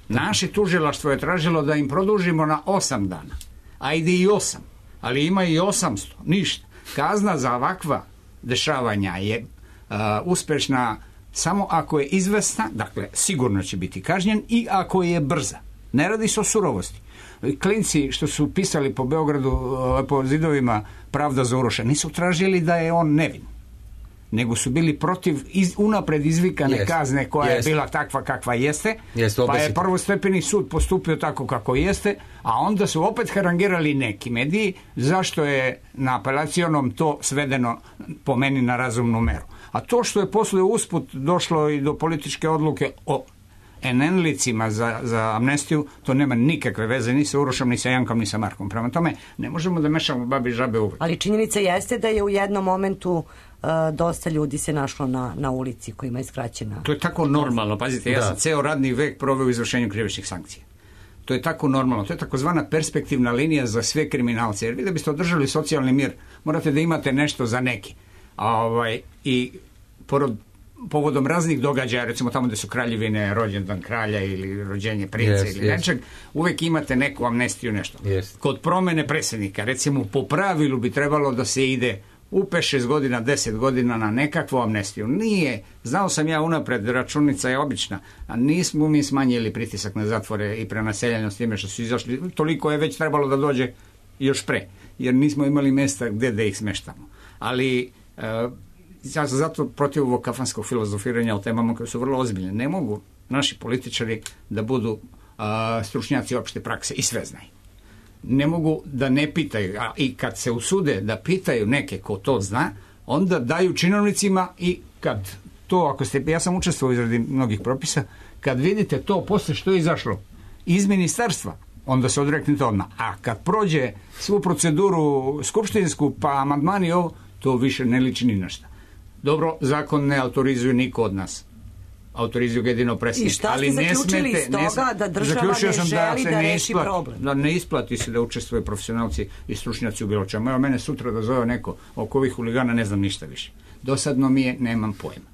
Naše tužilaštvo je tražilo da im produžimo na osam dana. Ajde i osam, ali ima i osamsto, ništa. Kazna za ovakva dešavanja je uh, uspešna samo ako je izvesna, dakle sigurno će biti kažnjen, i ako je brza. Ne radi se o surovosti. Klinci što su pisali po Beogradu, po zidovima Pravda za Uroša, nisu tražili da je on nevin, nego su bili protiv iz, unapred izvikane yes. kazne koja yes. je bila takva kakva jeste, yes, pa je prvostepeni sud postupio tako kako jeste, a onda su opet harangirali neki mediji zašto je na apelacionom to svedeno po meni na razumnu meru. A to što je posle usput došlo i do političke odluke o en en-licima za, za amnestiju, to nema nikakve veze ni sa Urošom, ni sa Jankom, ni sa Markom. Prema tome, ne možemo da mešamo babi i žabe uvek. Ali činjenica jeste da je u jednom momentu uh, dosta ljudi se našlo na, na ulici kojima je skraćena. To je tako normalno. Pazite, ja da. sam ceo radni vek proveo u izvršenju krivičnih sankcija. To je tako normalno. To je takozvana perspektivna linija za sve kriminalce. Jer vi da biste održali socijalni mir, morate da imate nešto za neki. A, ovaj, i porod povodom raznih događaja, recimo tamo gde su kraljevine, rođendan kralja ili rođenje princa yes, ili yes. nečeg, uvek imate neku amnestiju, nešto. Yes. Kod promene predsjednika, recimo po pravilu bi trebalo da se ide u pet šest godina, deset godina na nekakvu amnestiju. Nije, znao sam ja unapred, računica je obična, a nismo mi smanjili pritisak na zatvore i prenaseljanje s time što su izašli, toliko je već trebalo da dođe još pre, jer nismo imali mesta gde da ih smeštamo. Ali uh, ja sam zato protiv ovog kafanskog filozofiranja o temama koje su vrlo ozbiljne. Ne mogu naši političari da budu a, stručnjaci opšte prakse i sve znaju. Ne mogu da ne pitaju, a i kad se usude da pitaju neke ko to zna, onda daju činovnicima i kad to, ako ste, ja sam učestvovao u izradi mnogih propisa, kad vidite to posle što je izašlo iz ministarstva, onda se odreknite odmah. A kad prođe svu proceduru skupštinsku, pa amandmani ovo, to više ne liči ni na šta. Dobro, zakon ne autorizuje niko od nas. Autorizuju ga jedino predsjednik. I šta ste zaključili iz toga da država ne želi da, da, da reši isplati, problem? Da ne isplati se da učestvuju profesionalci i stručnjaci u bilo čemu. Evo mene sutra da zove neko oko ovih huligana, ne znam ništa više. Dosadno mi je, nemam pojma.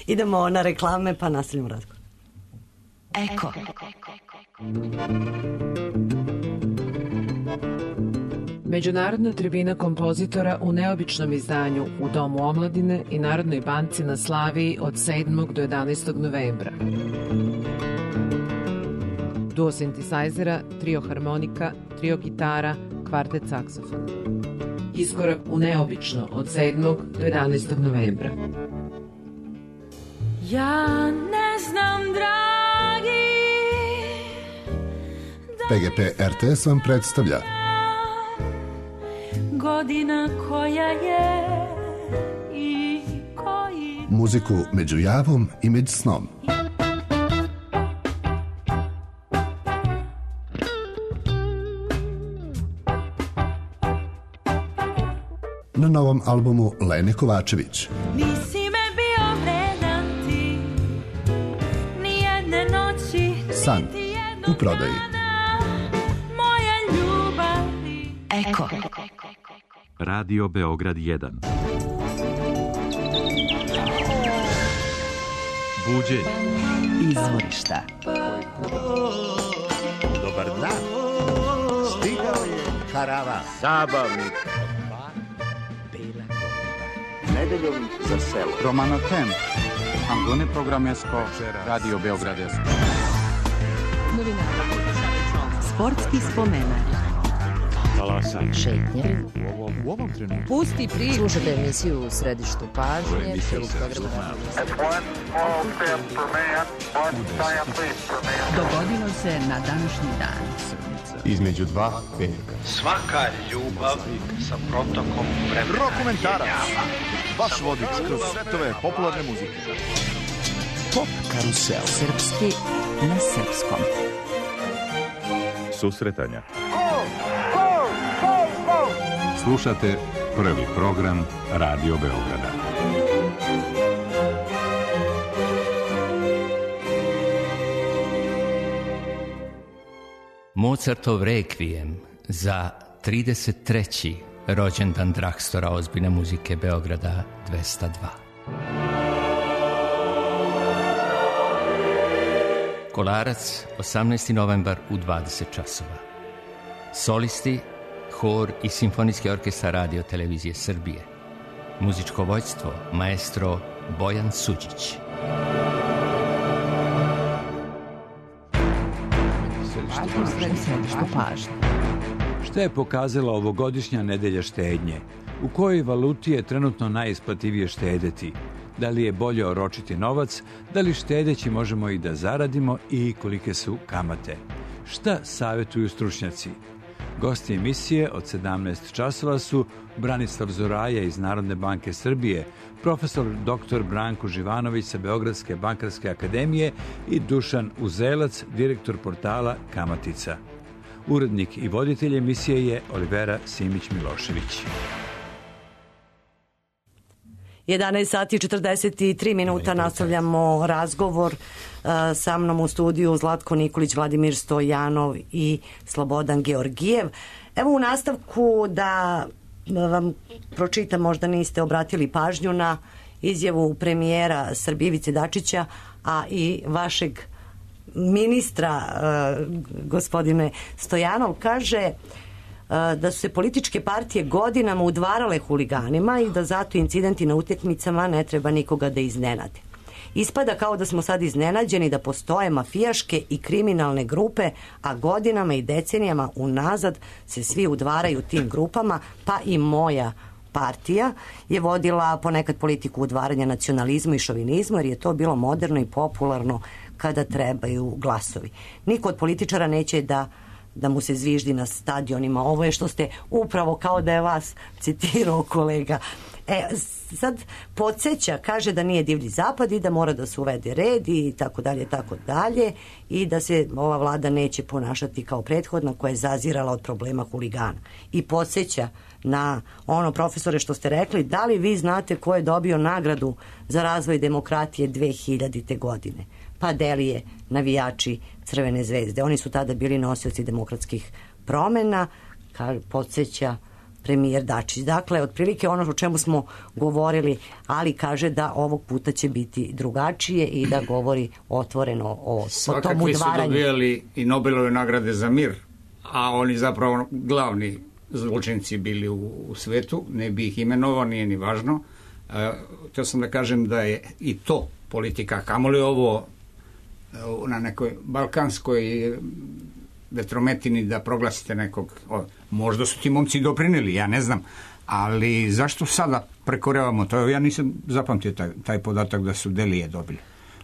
Idemo na reklame pa nastavljamo razgovor. Eko. Međunarodna tribina kompozitora u neobičnom izdanju u Domu omladine i Narodnoj banci na Slaviji od sedmog do jedanaestog novembra. Duo sintesajzera, trio harmonika, trio gitara, kvartet saksofona. Iskorak u neobično od sedmog do jedanaestog novembra. Ja ne znam, dragi, P G P R T S vam predstavlja godina koja je i koji muziku među javom i među snom. Na novom albumu Lene Kovačević. Nisi me bio vredan ti, nijedne noći, San niti jednog u prodaji. dana, moja ljubavi. Eko. Radio Beograd jedan. Buđenje. Izvorišta. Dobar dan. Stigao je karavan. Zabavnik. Nedeljom za selo. Romano Tem. Angone programesko. Radio Beograd jedan. Sportski spomenak. Talasanje. Šetnje. U ovom trenutku. Pusti priču. Slušajte emisiju u središtu pažnje. Dogodilo se na današnji dan. Između dva veka. Svaka ljubav sa protokom vremena. Rokomentarac. Vaš vodič kroz svetove popularne muzike. Pop karusel. Srpski na srpskom. Susretanja. Slušate prvi program Radio Beograda. Mozartov rekvijem za trideset treći rođendan Drakstora ozbiljne muzike Beograda dvesta dva. Kolarac, osamnaesti novembar u dvadeset časova. Solisti, hor i simfonijski orkestar Radio Televizije Srbije. Muzičko vođstvo maestro Bojan Suđić. Središtu pažnje. Šta je pokazala ovogodišnja nedelja štednje? U kojoj valuti je trenutno najisplativije štedeti? Da li je bolje oročiti novac? Da li štedeći možemo i da zaradimo i kolike su kamate? Šta savjetuju stručnjaci? Gosti emisije od sedamnaest časova su Branislav Zoraja iz Narodne banke Srbije, profesor doktor Branko Živanović sa Beogradske bankarske akademije i Dušan Uzelac, direktor portala Kamatica. Urednik i voditelj emisije je Olivera Simić-Milošević. jedanaest sati i četrdeset tri minuta nastavljamo razgovor. Sa mnom u studiju Zlatko Nikolić, Vladimir Stojanov i Slobodan Georgijev. Evo u nastavku da vam pročitam, možda niste obratili pažnju na izjavu premijera Srbije Ivice Dačića, a i vašeg ministra gospodine Stojanov kaže da su se političke partije godinama udvarale huliganima i da zato incidenti na utakmicama ne treba nikoga da iznenade. Ispada kao da smo sad iznenađeni da postoje mafijaške i kriminalne grupe, a godinama i decenijama unazad se svi udvaraju tim grupama, pa i moja partija je vodila ponekad politiku udvaranja nacionalizmu i šovinizmu, jer je to bilo moderno i popularno kada trebaju glasovi. Niko od političara neće da da mu se zviždi na stadionima. Ovo je što ste upravo kao da je vas citirao kolega. E, sad podsjeća, kaže da nije divlji zapad i da mora da se uvede red i tako dalje, tako dalje, i da se ova vlada neće ponašati kao prethodna koja je zazirala od problema huligana. I podsjeća na ono, profesore, što ste rekli, da li vi znate ko je dobio nagradu za razvoj demokratije dve hiljadite. godine? Pa Delije, navijači Crvene zvezde. Oni su tada bili nosioci demokratskih promena, kao podsjeća premijer Dačić. Dakle, otprilike ono o čemu smo govorili, ali kaže da ovog puta će biti drugačije i da govori otvoreno o, o tom Svakakvi su udvaranju. dobijali i Nobelove nagrade za mir, a oni zapravo glavni zločinci bili u, u svetu, ne bi ih imenovao, nije ni važno. E, htio sam da kažem da je i to politika, kamoli ovo na nekoj balkanskoj vetrometini da proglasite nekog, o, možda su ti momci doprineli, ja ne znam, ali zašto sada prekorevamo to? Ja nisam zapamtio taj, taj podatak da su Delije dobili.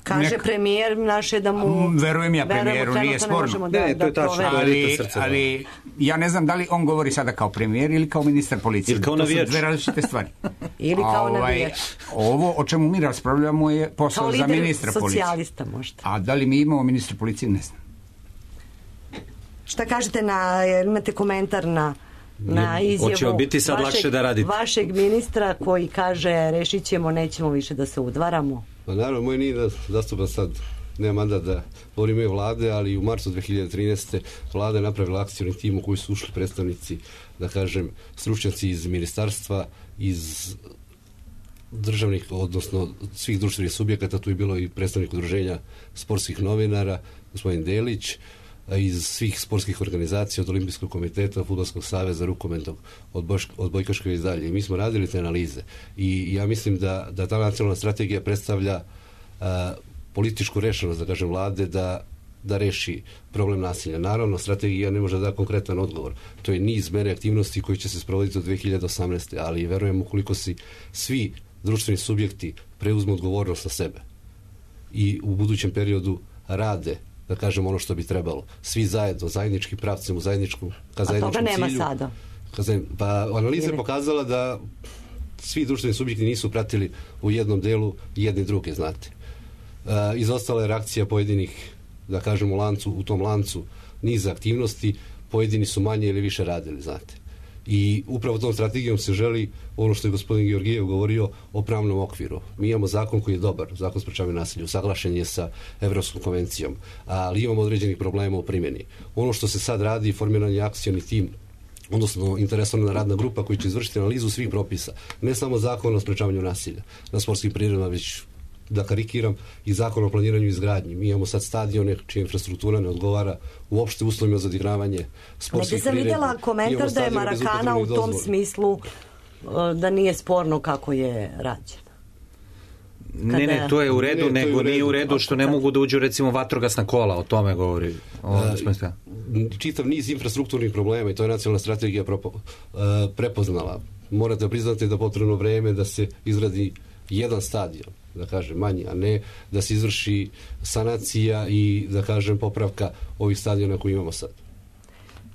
Kaže nek... premijer naše da mu... Verujem ja premijeru, nije sporno. Da, ne, to je tačno, ali, ali ja ne znam da li on govori sada kao premijer ili kao ministar policije. Ili kao to navijač. su dve različite stvari. Ili kao ovaj, navijač. Ovo o čemu mi raspravljamo je posao za ministra policije. Socijalista možda. A da li mi imamo ministra policije, ne znam. Šta kažete na, imate komentar na, na izjavu Hoće biti sad vašeg, lakše da radite. vašeg ministra koji kaže rešit ćemo, nećemo više da se udvaramo? Pa naravno, moj nije da zastupa sad, nema mandat da govorim ime vlade, ali u marcu dve hiljade trinaeste. vlada je napravila akcijni tim u koji su ušli predstavnici, da kažem, stručnjaci iz ministarstva, iz državnih, odnosno svih društvenih subjekata, tu je bilo i predstavnik udruženja sportskih novinara, gospodin Delić, iz svih sportskih organizacija, od Olimpijskog komiteta, Fudbalskog saveza, rukometnog, od, od Bojkaškove i dalje. I mi smo radili te analize. I ja mislim da, da ta nacionalna strategija predstavlja a, političku rešenost, da kažem, vlade da, da reši problem nasilja. Naravno, strategija ne može da da konkretan odgovor. To je niz mere aktivnosti koji će se sprovoditi do dve hiljade osamnaeste. Ali verujem ukoliko si svi društveni subjekti preuzmu odgovornost na sebe i u budućem periodu rade, da kažem, ono što bi trebalo. Svi zajedno, zajedničkim pravcem, u zajedničkom, ka zajedničkom cilju. A toga nema sada? Ka, pa analiza je pokazala da svi društveni subjekti nisu pratili u jednom delu jedni druge, znate. E, izostala je reakcija pojedinih, da kažem, u lancu, u tom lancu niza aktivnosti, pojedini su manje ili više radili, znate. I upravo tom strategijom se želi ono što je gospodin Georgijev govorio o pravnom okviru. Mi imamo zakon koji je dobar, zakon sprečavanja nasilja, usaglašen je sa Evropskom konvencijom, ali imamo određenih problema u primjeni. Ono što se sad radi, formiran je akcioni tim, odnosno interesovana radna grupa koji će izvršiti analizu svih propisa, ne samo zakon o sprečavanju nasilja na sportskim priredbama, već, da karikiram, i zakon o planiranju i izgradnji. Mi imamo sad stadione čija infrastruktura ne odgovara uopšte uslovima za odigravanje sportskih priredbi. Negdje sam vidjela komentar da je Marakana u tom smislu da nije sporno kako je rađeno. Kada... Ne, ne, to je u redu, ne, nego nije u redu što ne mogu da uđu, recimo, vatrogasna kola, o tome govori. O, A, čitav niz infrastrukturnih problema i to je nacionalna strategija propo, a, prepoznala. Morate priznati da potrebno vreme da se izradi jedan stadion, da kažem, manji, a ne da se izvrši sanacija i, da kažem, popravka ovih stadiona koji imamo sad.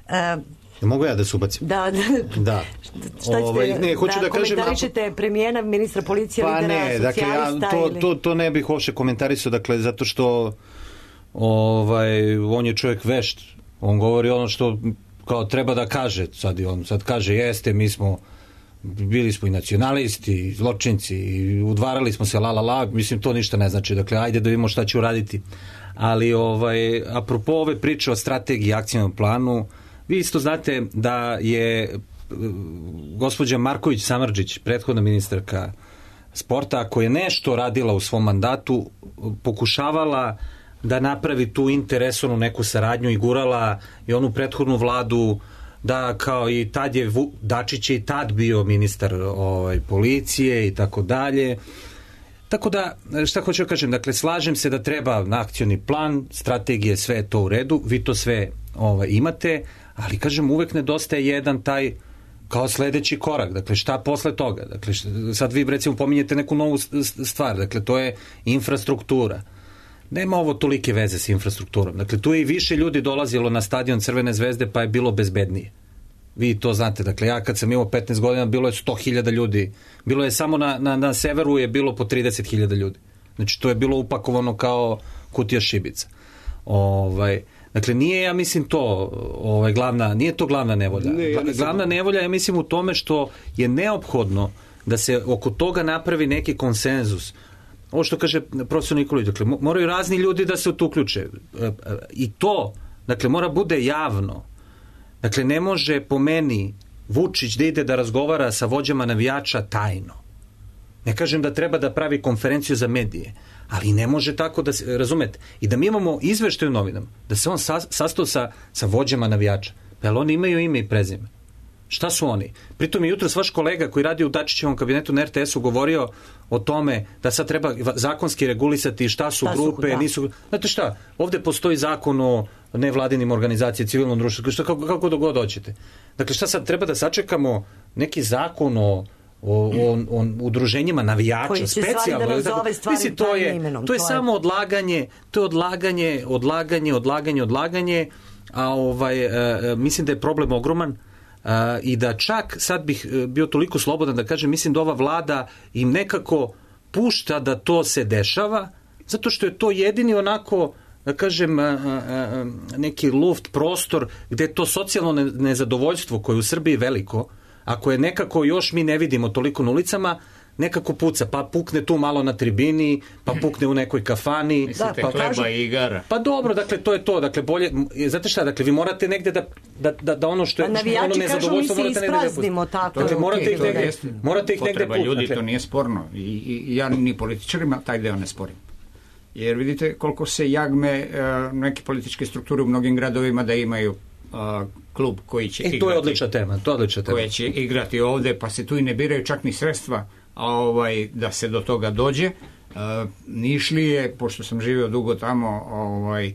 E, Mogu ja da se ubacim? Da, da. da. Šta ćete, ovaj, ne, hoću da, da kažem, komentarišete premijera, ministra policije, pa lidera ne, dakle, ja, to, ili... to, to ne bih uopšte komentarisao, dakle, zato što ovaj, on je čovjek vešt, on govori ono što kao treba da kaže, sad, on sad kaže jeste, mi smo bili smo i nacionalisti, i zločinci, i udvarali smo se la la la, mislim to ništa ne znači, dakle ajde da vidimo šta će uraditi. Ali ovaj, apropo ove priče o strategiji i akcijnom planu, vi isto znate da je gospođa Marković Samardžić, prethodna ministarka sporta, koja je nešto radila u svom mandatu, pokušavala da napravi tu interesonu neku saradnju i gurala i onu prethodnu vladu da kao i tad je Dačić je i tad bio ministar ovaj, policije i tako dalje. Tako da, šta hoću da kažem, dakle, slažem se da treba na akcioni plan, strategije, sve je to u redu, vi to sve ovaj, imate, ali kažem, uvek nedostaje jedan taj kao sledeći korak, dakle, šta posle toga, dakle, šta, sad vi recimo pominjete neku novu stvar, dakle, to je infrastruktura. Nema ovo tolike veze s infrastrukturom. Dakle, tu je i više ljudi dolazilo na stadion Crvene zvezde, pa je bilo bezbednije. Vi to znate. Dakle, ja kad sam imao petnaest godina, bilo je sto hiljada ljudi. Bilo je samo na, na, na severu je bilo po trideset hiljada ljudi. Znači, to je bilo upakovano kao kutija šibica. Ovaj, dakle, nije, ja mislim, to ovaj, glavna, nije to glavna nevolja. Ne, ja glavna nevolja, ja mislim, u tome što je neophodno da se oko toga napravi neki konsenzus. Ovo što kaže profesor Nikolić, dakle, moraju razni ljudi da se u to uključe. I to, dakle, mora bude javno. Dakle, ne može po meni Vučić da ide da razgovara sa vođama navijača tajno. Ne kažem da treba da pravi konferenciju za medije, ali ne može tako da se, razumete, i da mi imamo izveštaj u novinama, da se on sastao sa, sa vođama navijača. Pa jel oni imaju ime i prezime? Šta su oni? Pritom je jutros vaš kolega koji radi u Dačićevom kabinetu na er te esu govorio o tome da sad treba zakonski regulisati šta su šta grupe, su, nisu... Znate šta, ovde postoji zakon o nevladinim organizacijama, civilnom društvu, šta, kako, kako da god hoćete. Dakle, šta sad, treba da sačekamo neki zakon o, o, o, o udruženjima navijača, koji će specijalno. da nazove stvari Mislim, to je, imenom, to je to je... samo odlaganje, to je odlaganje, odlaganje, odlaganje, odlaganje, a ovaj, uh, mislim da je problem ogroman uh, i da čak sad bih bio toliko slobodan da kažem, mislim da ova vlada im nekako pušta da to se dešava, zato što je to jedini onako, da kažem, neki luft, prostor gde to socijalno nezadovoljstvo koje je u Srbiji veliko, ako je nekako još mi ne vidimo toliko na ulicama, nekako puca, pa pukne tu malo na tribini, pa pukne u nekoj kafani. Mislite, pa hleba kažu, i igara. Pa dobro, dakle, to je to. Dakle, bolje, znate šta, dakle, vi morate negde da, da, da, da ono što je pa ono nezadovoljstvo morate negde da ispraznimo tako. Dakle, morate ih negde, morate ih negde potreba pukne. ljudi, to nije sporno. I, i ja ni političarima taj deo ne sporim. Jer vidite koliko se jagme uh, neke političke strukture u mnogim gradovima da imaju uh, klub koji će e, igrati. To je odlična tema, to je odlična tema. Koji će igrati ovde, pa se tu i ne biraju čak ni sredstva, a ovaj, da se do toga dođe. Uh, Nišlije, pošto sam živio dugo tamo, ovaj,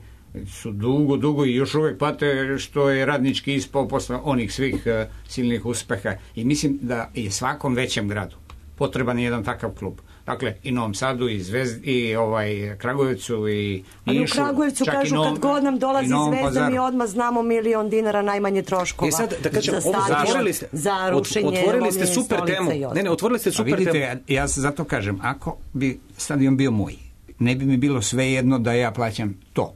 su dugo, dugo i još uvek pate što je Radnički ispao posle onih svih uh, silnih uspeha. I mislim da je svakom većem gradu potreban jedan takav klub. Dakle, i Novom Sadu, i Zvezdi, i ovaj, Kragujevcu, i Nišu. Ali u Kragujevcu kažu Novom, kad god nam dolazi Zvezda, Pazaru. mi odmah znamo milion dinara najmanje troškova. E sad, da kažem, za otvorili ste, za rušenje otvorili ste super temu. Ne, ne, otvorili ste super vidite, temu. Ja se zato kažem, ako bi stadion bio moj, ne bi mi bilo sve jedno da ja plaćam to.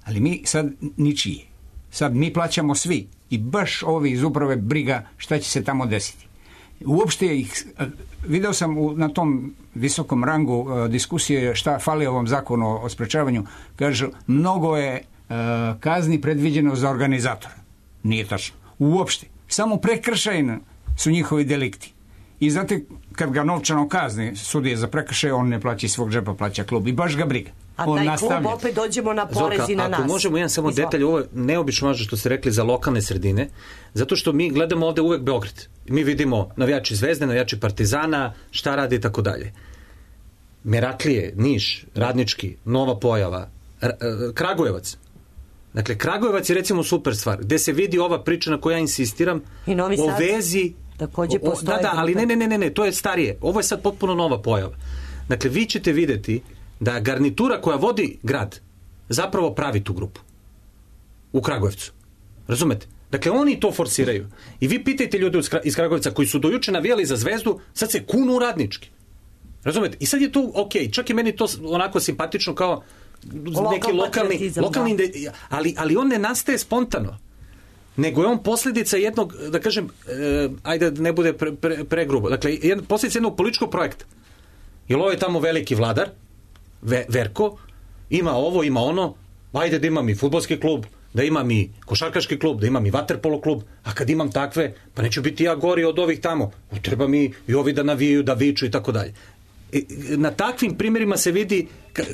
Ali mi sad ničije. Sad mi plaćamo svi i baš ovi iz uprave briga šta će se tamo desiti. Uopšte ih, video sam u, na tom visokom rangu uh, diskusije šta fali ovom zakonu o, o sprečavanju, kažu mnogo je uh, kazni predviđeno za organizatora. Nije tačno. Uopšte. Samo prekršajni su njihovi delikti. I znate, kad ga novčano kazni sudije za prekršaj, on ne plaća iz svog džepa, plaća klub. I baš ga briga. A on taj nastavlja. klub opet dođemo na porez i na nas. Ako možemo jedan samo detalj, ovo je neobično važno što ste rekli za lokalne sredine, zato što mi gledamo ovde uvek Beograd. Mi vidimo navijači Zvezde, navijači Partizana, šta radi i tako dalje. Meraklije, Niš, Radnički, Nova Pojava, Kragujevac. Dakle, Kragujevac je recimo super stvar, gde se vidi ova priča na kojoj ja insistiram o vezi. Takođe postoje. Da, da, ali ne, ne, ne, ne, ne, to je starije. Ovo je sad potpuno nova pojava. Dakle, vi ćete videti da garnitura koja vodi grad zapravo pravi tu grupu. U Kragujevcu. Razumete? Dakle, oni to forsiraju. I vi pitajte ljude iz Kragujevca koji su dojuče navijali za Zvezdu, sad se kunu u Radnički. Razumete? I sad je to ok, čak i meni to onako simpatično kao Lokal neki lokalni, lokalni da. ali, ali on ne nastaje spontano. Nego je on posljedica jednog, da kažem, e, ajde da ne bude pre, pre, pregrubo, dakle, jed, posljedica jednog političkog projekta. Jer ovo je tamo veliki vladar, Ve, Verko, ima ovo, ima ono, ajde da imam i fudbalski klub, da imam i košarkaški klub, da imam i vaterpolo klub, a kad imam takve, pa neću biti ja gori od ovih tamo, treba mi i ovi da navijaju, da viču i tako dalje. Na takvim primjerima se vidi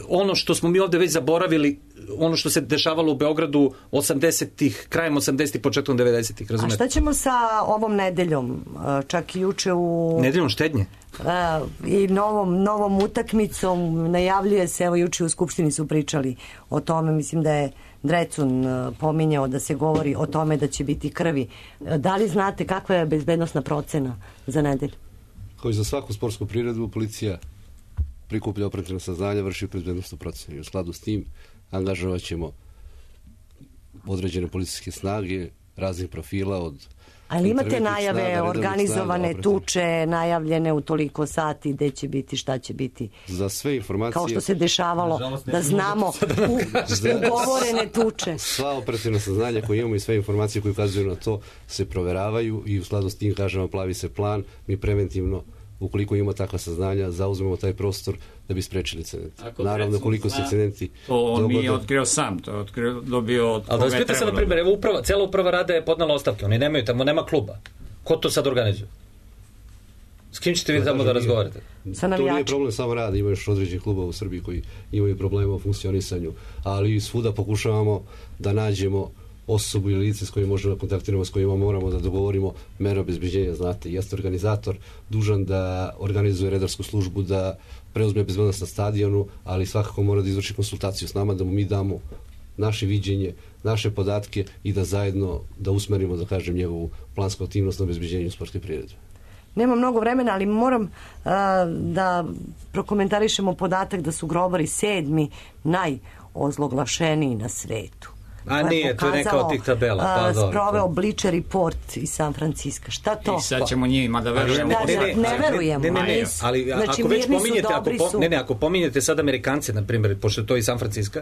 ono što smo mi ovde već zaboravili, ono što se dešavalo u Beogradu osamdesetih, krajem osamdesetih, početkom devedesetih, razumete? A šta ćemo sa ovom nedeljom? Čak i juče u... Nedeljom štednje? I novom, novom utakmicom najavljuje se, evo juče u Skupštini su pričali o tome, mislim da je Drecun pominjao da se govori o tome da će biti krvi. Da li znate kakva je bezbednosna procena za nedelju? Kao i za svaku sportsku priredbu, policija prikuplja operativna saznanja, vrši bezbednosnu procenu. I u skladu s tim angažovat ćemo određene policijske snage raznih profila od... Ali imate najave, snaga, organizovane snaga, tuče, najavljene u toliko sati, gde će biti, šta će biti? Za sve informacije... Kao što se dešavalo, žalost, da znamo u, ugovorene tuče. Sva operativna saznanja koje imamo i sve informacije koje ukazuju na to se proveravaju i u skladu s tim, kažemo, plavi se plan, mi preventivno, ukoliko imamo takva saznanja, zauzmemo taj prostor da bi sprečili incident. Naravno, koliko se incidenti... To on dogode... mi je otkrio sam, to je otkrio, dobio od ali da spite se, na primjer, evo uprava, cela uprava rada je podnala ostavke, oni nemaju tamo, nema kluba. Ko to sad organizuje? S kim ćete vi tamo da razgovarate? Sa navijačima. To nije problem samo rada, ima još određenih klubova u Srbiji koji imaju problema u funkcionisanju, ali svuda pokušavamo da nađemo osobu ili lice s kojim možemo da kontaktiramo, s kojima moramo da dogovorimo mere obezbeđenja, znate, jeste organizator dužan da organizuje redarsku službu, da preuzme bezbednost na stadionu, ali svakako mora da izvrši konsultaciju s nama, da mu mi damo naše viđenje, naše podatke i da zajedno da usmerimo, da kažem, njegovu plansku aktivnost na obezbeđenju sportske priredbe. nema mnogo vremena, ali moram uh, da prokomentarišemo podatak da su grobari sedmi najozloglašeniji na svetu. A nije, to je neka od tih tabela. Pa, uh, sproveo Bleacher Report iz San Francisco. Šta to? I sad ćemo njima da verujemo. Da, ne, ne, ne verujemo. Ne, ne, ne, ne. Ali znači, ako već pominjete, su, ako, po, ne, ne, ako pominjete sad Amerikance, na primjer, pošto je to iz San Francisco,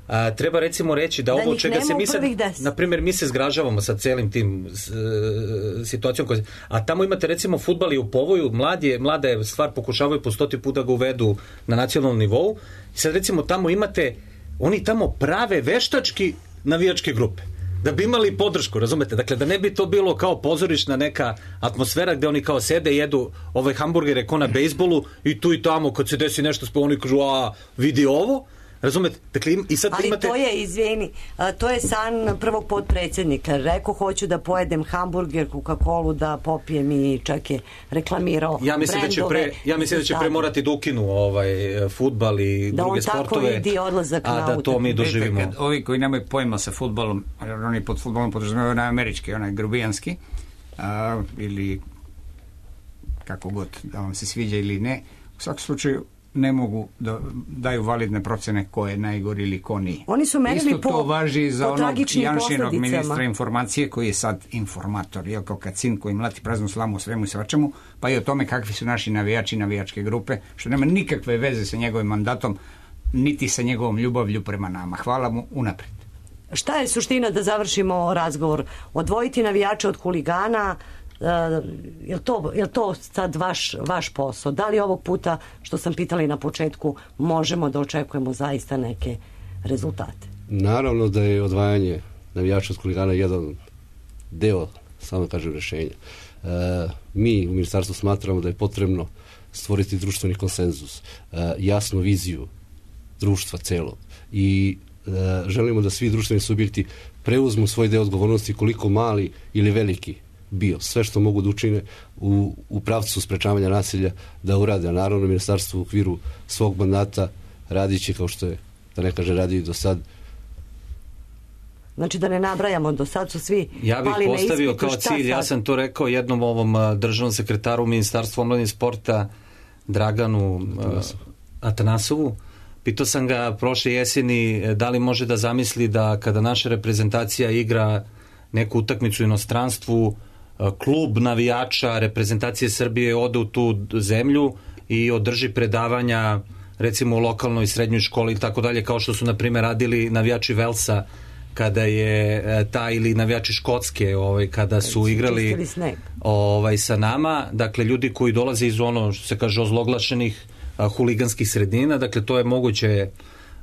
a, treba recimo reći da, da ovo čega se mi sad, na primjer, mi se zgražavamo sa celim tim s, e, situacijom, koja, a tamo imate recimo fudbal i u povoju, mlad je, mlada je stvar, pokušavaju po stoti puta ga uvedu na nacionalnom nivou i sad recimo tamo imate, oni tamo prave veštački navijačke grupe da bi imali podršku, razumete? Dakle, da ne bi to bilo kao pozorišna neka atmosfera gde oni kao sede, jedu ovaj hamburgere ko na bejsbolu i tu i tamo kad se desi nešto, oni kažu, a vidi ovo, razumete? Dakle, i sad ali imate... to je, izvini, to je san prvog potpredsjednika. Rekao, hoću da pojedem hamburger, Coca-Colu, da popijem i čak je reklamirao ja mislim da će pre, ja mislim da će pre morati da ukinu ovaj, fudbal i da druge sportove. Da on tako idi odlazak a na da to mi doživimo. Kad ovi koji nemaju pojma sa fudbalom, oni pod fudbalom podrazumevaju onaj američki, onaj grubijanski, a, ili kako god, da vam se sviđa ili ne, u svakom slučaju ne mogu da daju validne procene ko je najgori ili ko nije. Oni su merili isto po, to važi za onog Janšinog posledicama. Ministra informacije koji je sad informator, je kao kacin koji mlati praznu slamu o svemu i svačemu, pa i o tome kakvi su naši navijači, navijačke grupe, što nema nikakve veze sa njegovim mandatom, niti sa njegovom ljubavlju prema nama. Hvala mu unapred. Šta je suština, da završimo razgovor? Odvojiti navijače od huligana, Uh, je li to, je li to sad vaš, vaš posao? Da li ovog puta, što sam pitali na početku, možemo da očekujemo zaista neke rezultate? Naravno da je odvajanje navijača od huligana jedan deo, samo kažem, rešenja. Uh, mi u ministarstvu smatramo da je potrebno stvoriti društveni konsenzus, uh, jasnu viziju društva celog i uh, želimo da svi društveni subjekti preuzmu svoj deo odgovornosti, koliko mali ili veliki bio. Sve što mogu da učine u, u pravcu sprečavanja nasilja da urade. A naravno ministarstvo u okviru svog mandata radiće kao što je, da ne kaže, radi i do sad. Znači da ne nabrajamo, do sad su svi ja bih pali na postavio ispitu, kao cilj, ja sam to rekao jednom ovom državnom sekretaru Ministarstva omladine i sporta Draganu Atanasov. Atanasovu. Pitao sam ga prošle jeseni da li može da zamisli da kada naša reprezentacija igra neku utakmicu u inostranstvu, klub navijača reprezentacije Srbije ode u tu zemlju i održi predavanja recimo u lokalnoj srednjoj školi i tako dalje, kao što su na primjer radili navijači Velsa kada je ta, ili navijači Škotske ovaj, kada su igrali ovaj, sa nama, dakle ljudi koji dolaze iz ono što se kaže ozloglašenih a, huliganskih sredina, dakle to je moguće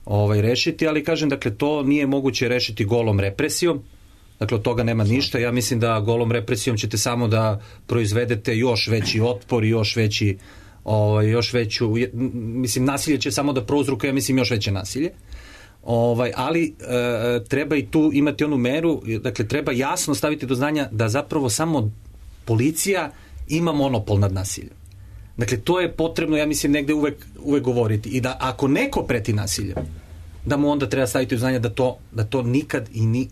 ovaj, rešiti, ali kažem, dakle to nije moguće rešiti golom represijom. Dakle, od toga nema ništa. Ja mislim da golom represijom ćete samo da proizvedete još veći otpor i još veći, ovaj, još veću, mislim, nasilje će samo da prouzrukuje, ja mislim, još veće nasilje. Ovaj, ali e, treba i tu imati onu meru, dakle, treba jasno staviti do znanja da zapravo samo policija ima monopol nad nasiljem. Dakle, to je potrebno, ja mislim, negde uvek, uvek govoriti. I da ako neko preti nasiljem, da mu onda treba staviti u znanje da to, da to nikad i ni,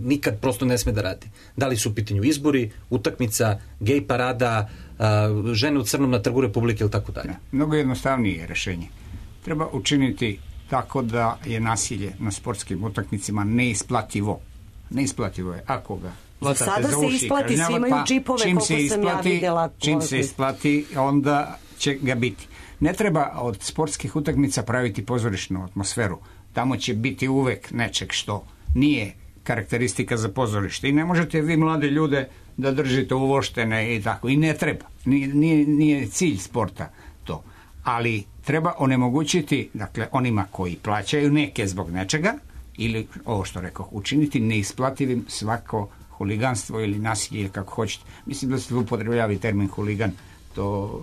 nikad prosto ne sme da radi. Da li su u pitanju izbori, utakmica, gej parada, uh, žene u crnom na Trgu Republike ili tako dalje. Mnogo jednostavnije rešenje. Treba učiniti tako da je nasilje na sportskim utakmicama neisplativo. Neisplativo je. Ako ga sada se isplati, svi imaju džipove, koliko sam isplati, ja videla. Čim se isplati, onda će ga biti. Ne treba od sportskih utakmica praviti pozorišnu atmosferu. Tamo će biti uvek nečeg što nije karakteristika za pozorište. I ne možete vi mlade ljude da držite uvoštene i tako. I ne treba. Nije, nije, nije cilj sporta to. Ali treba onemogućiti, dakle, onima koji plaćaju neke zbog nečega, ili, ovo što rekao, učiniti neisplativim svako huliganstvo ili nasilje, ili kako hoćete. Mislim da se upotrebljava termin huligan. To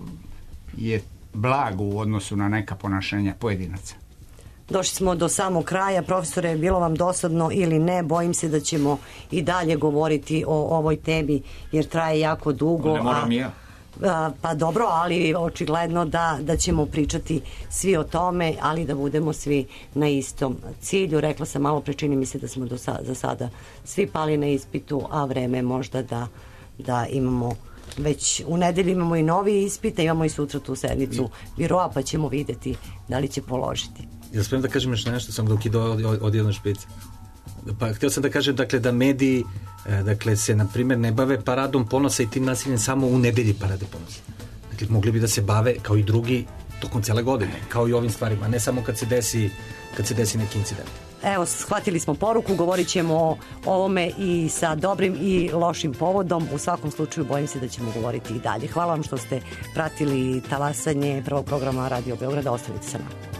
je blago u odnosu na neka ponašanja pojedinaca. Došli smo do samog kraja. Profesore, je bilo vam dosadno ili ne? Bojim se da ćemo i dalje govoriti o ovoj temi, jer traje jako dugo. Ne moram ja. A, pa dobro, ali očigledno da, da ćemo pričati svi o tome, ali da budemo svi na istom cilju. Rekla sam malo pre, čini mi se da smo do sa, za sada svi pali na ispitu, a vreme možda da, da imamo već u nedelju imamo i novi ispit, imamo i sutra tu sednicu biroa, pa ćemo videti da li će položiti. Jel smijem da kažem još nešto, sam dok ide od, od jednog špica? Pa htio sam da kažem, dakle, da mediji dakle, se, na primjer, ne bave paradom ponosa i tim nasiljem samo u nedelji parade ponosa. Dakle, mogli bi da se bave, kao i drugi, tokom cele godine, kao i ovim stvarima, ne samo kad se desi, kad se desi neki incident. Evo, shvatili smo poruku, govorit ćemo o ovome i sa dobrim i lošim povodom. U svakom slučaju bojim se da ćemo govoriti i dalje. Hvala vam što ste pratili talasanje prvog programa Radio Beograda. Ostanite sa nama.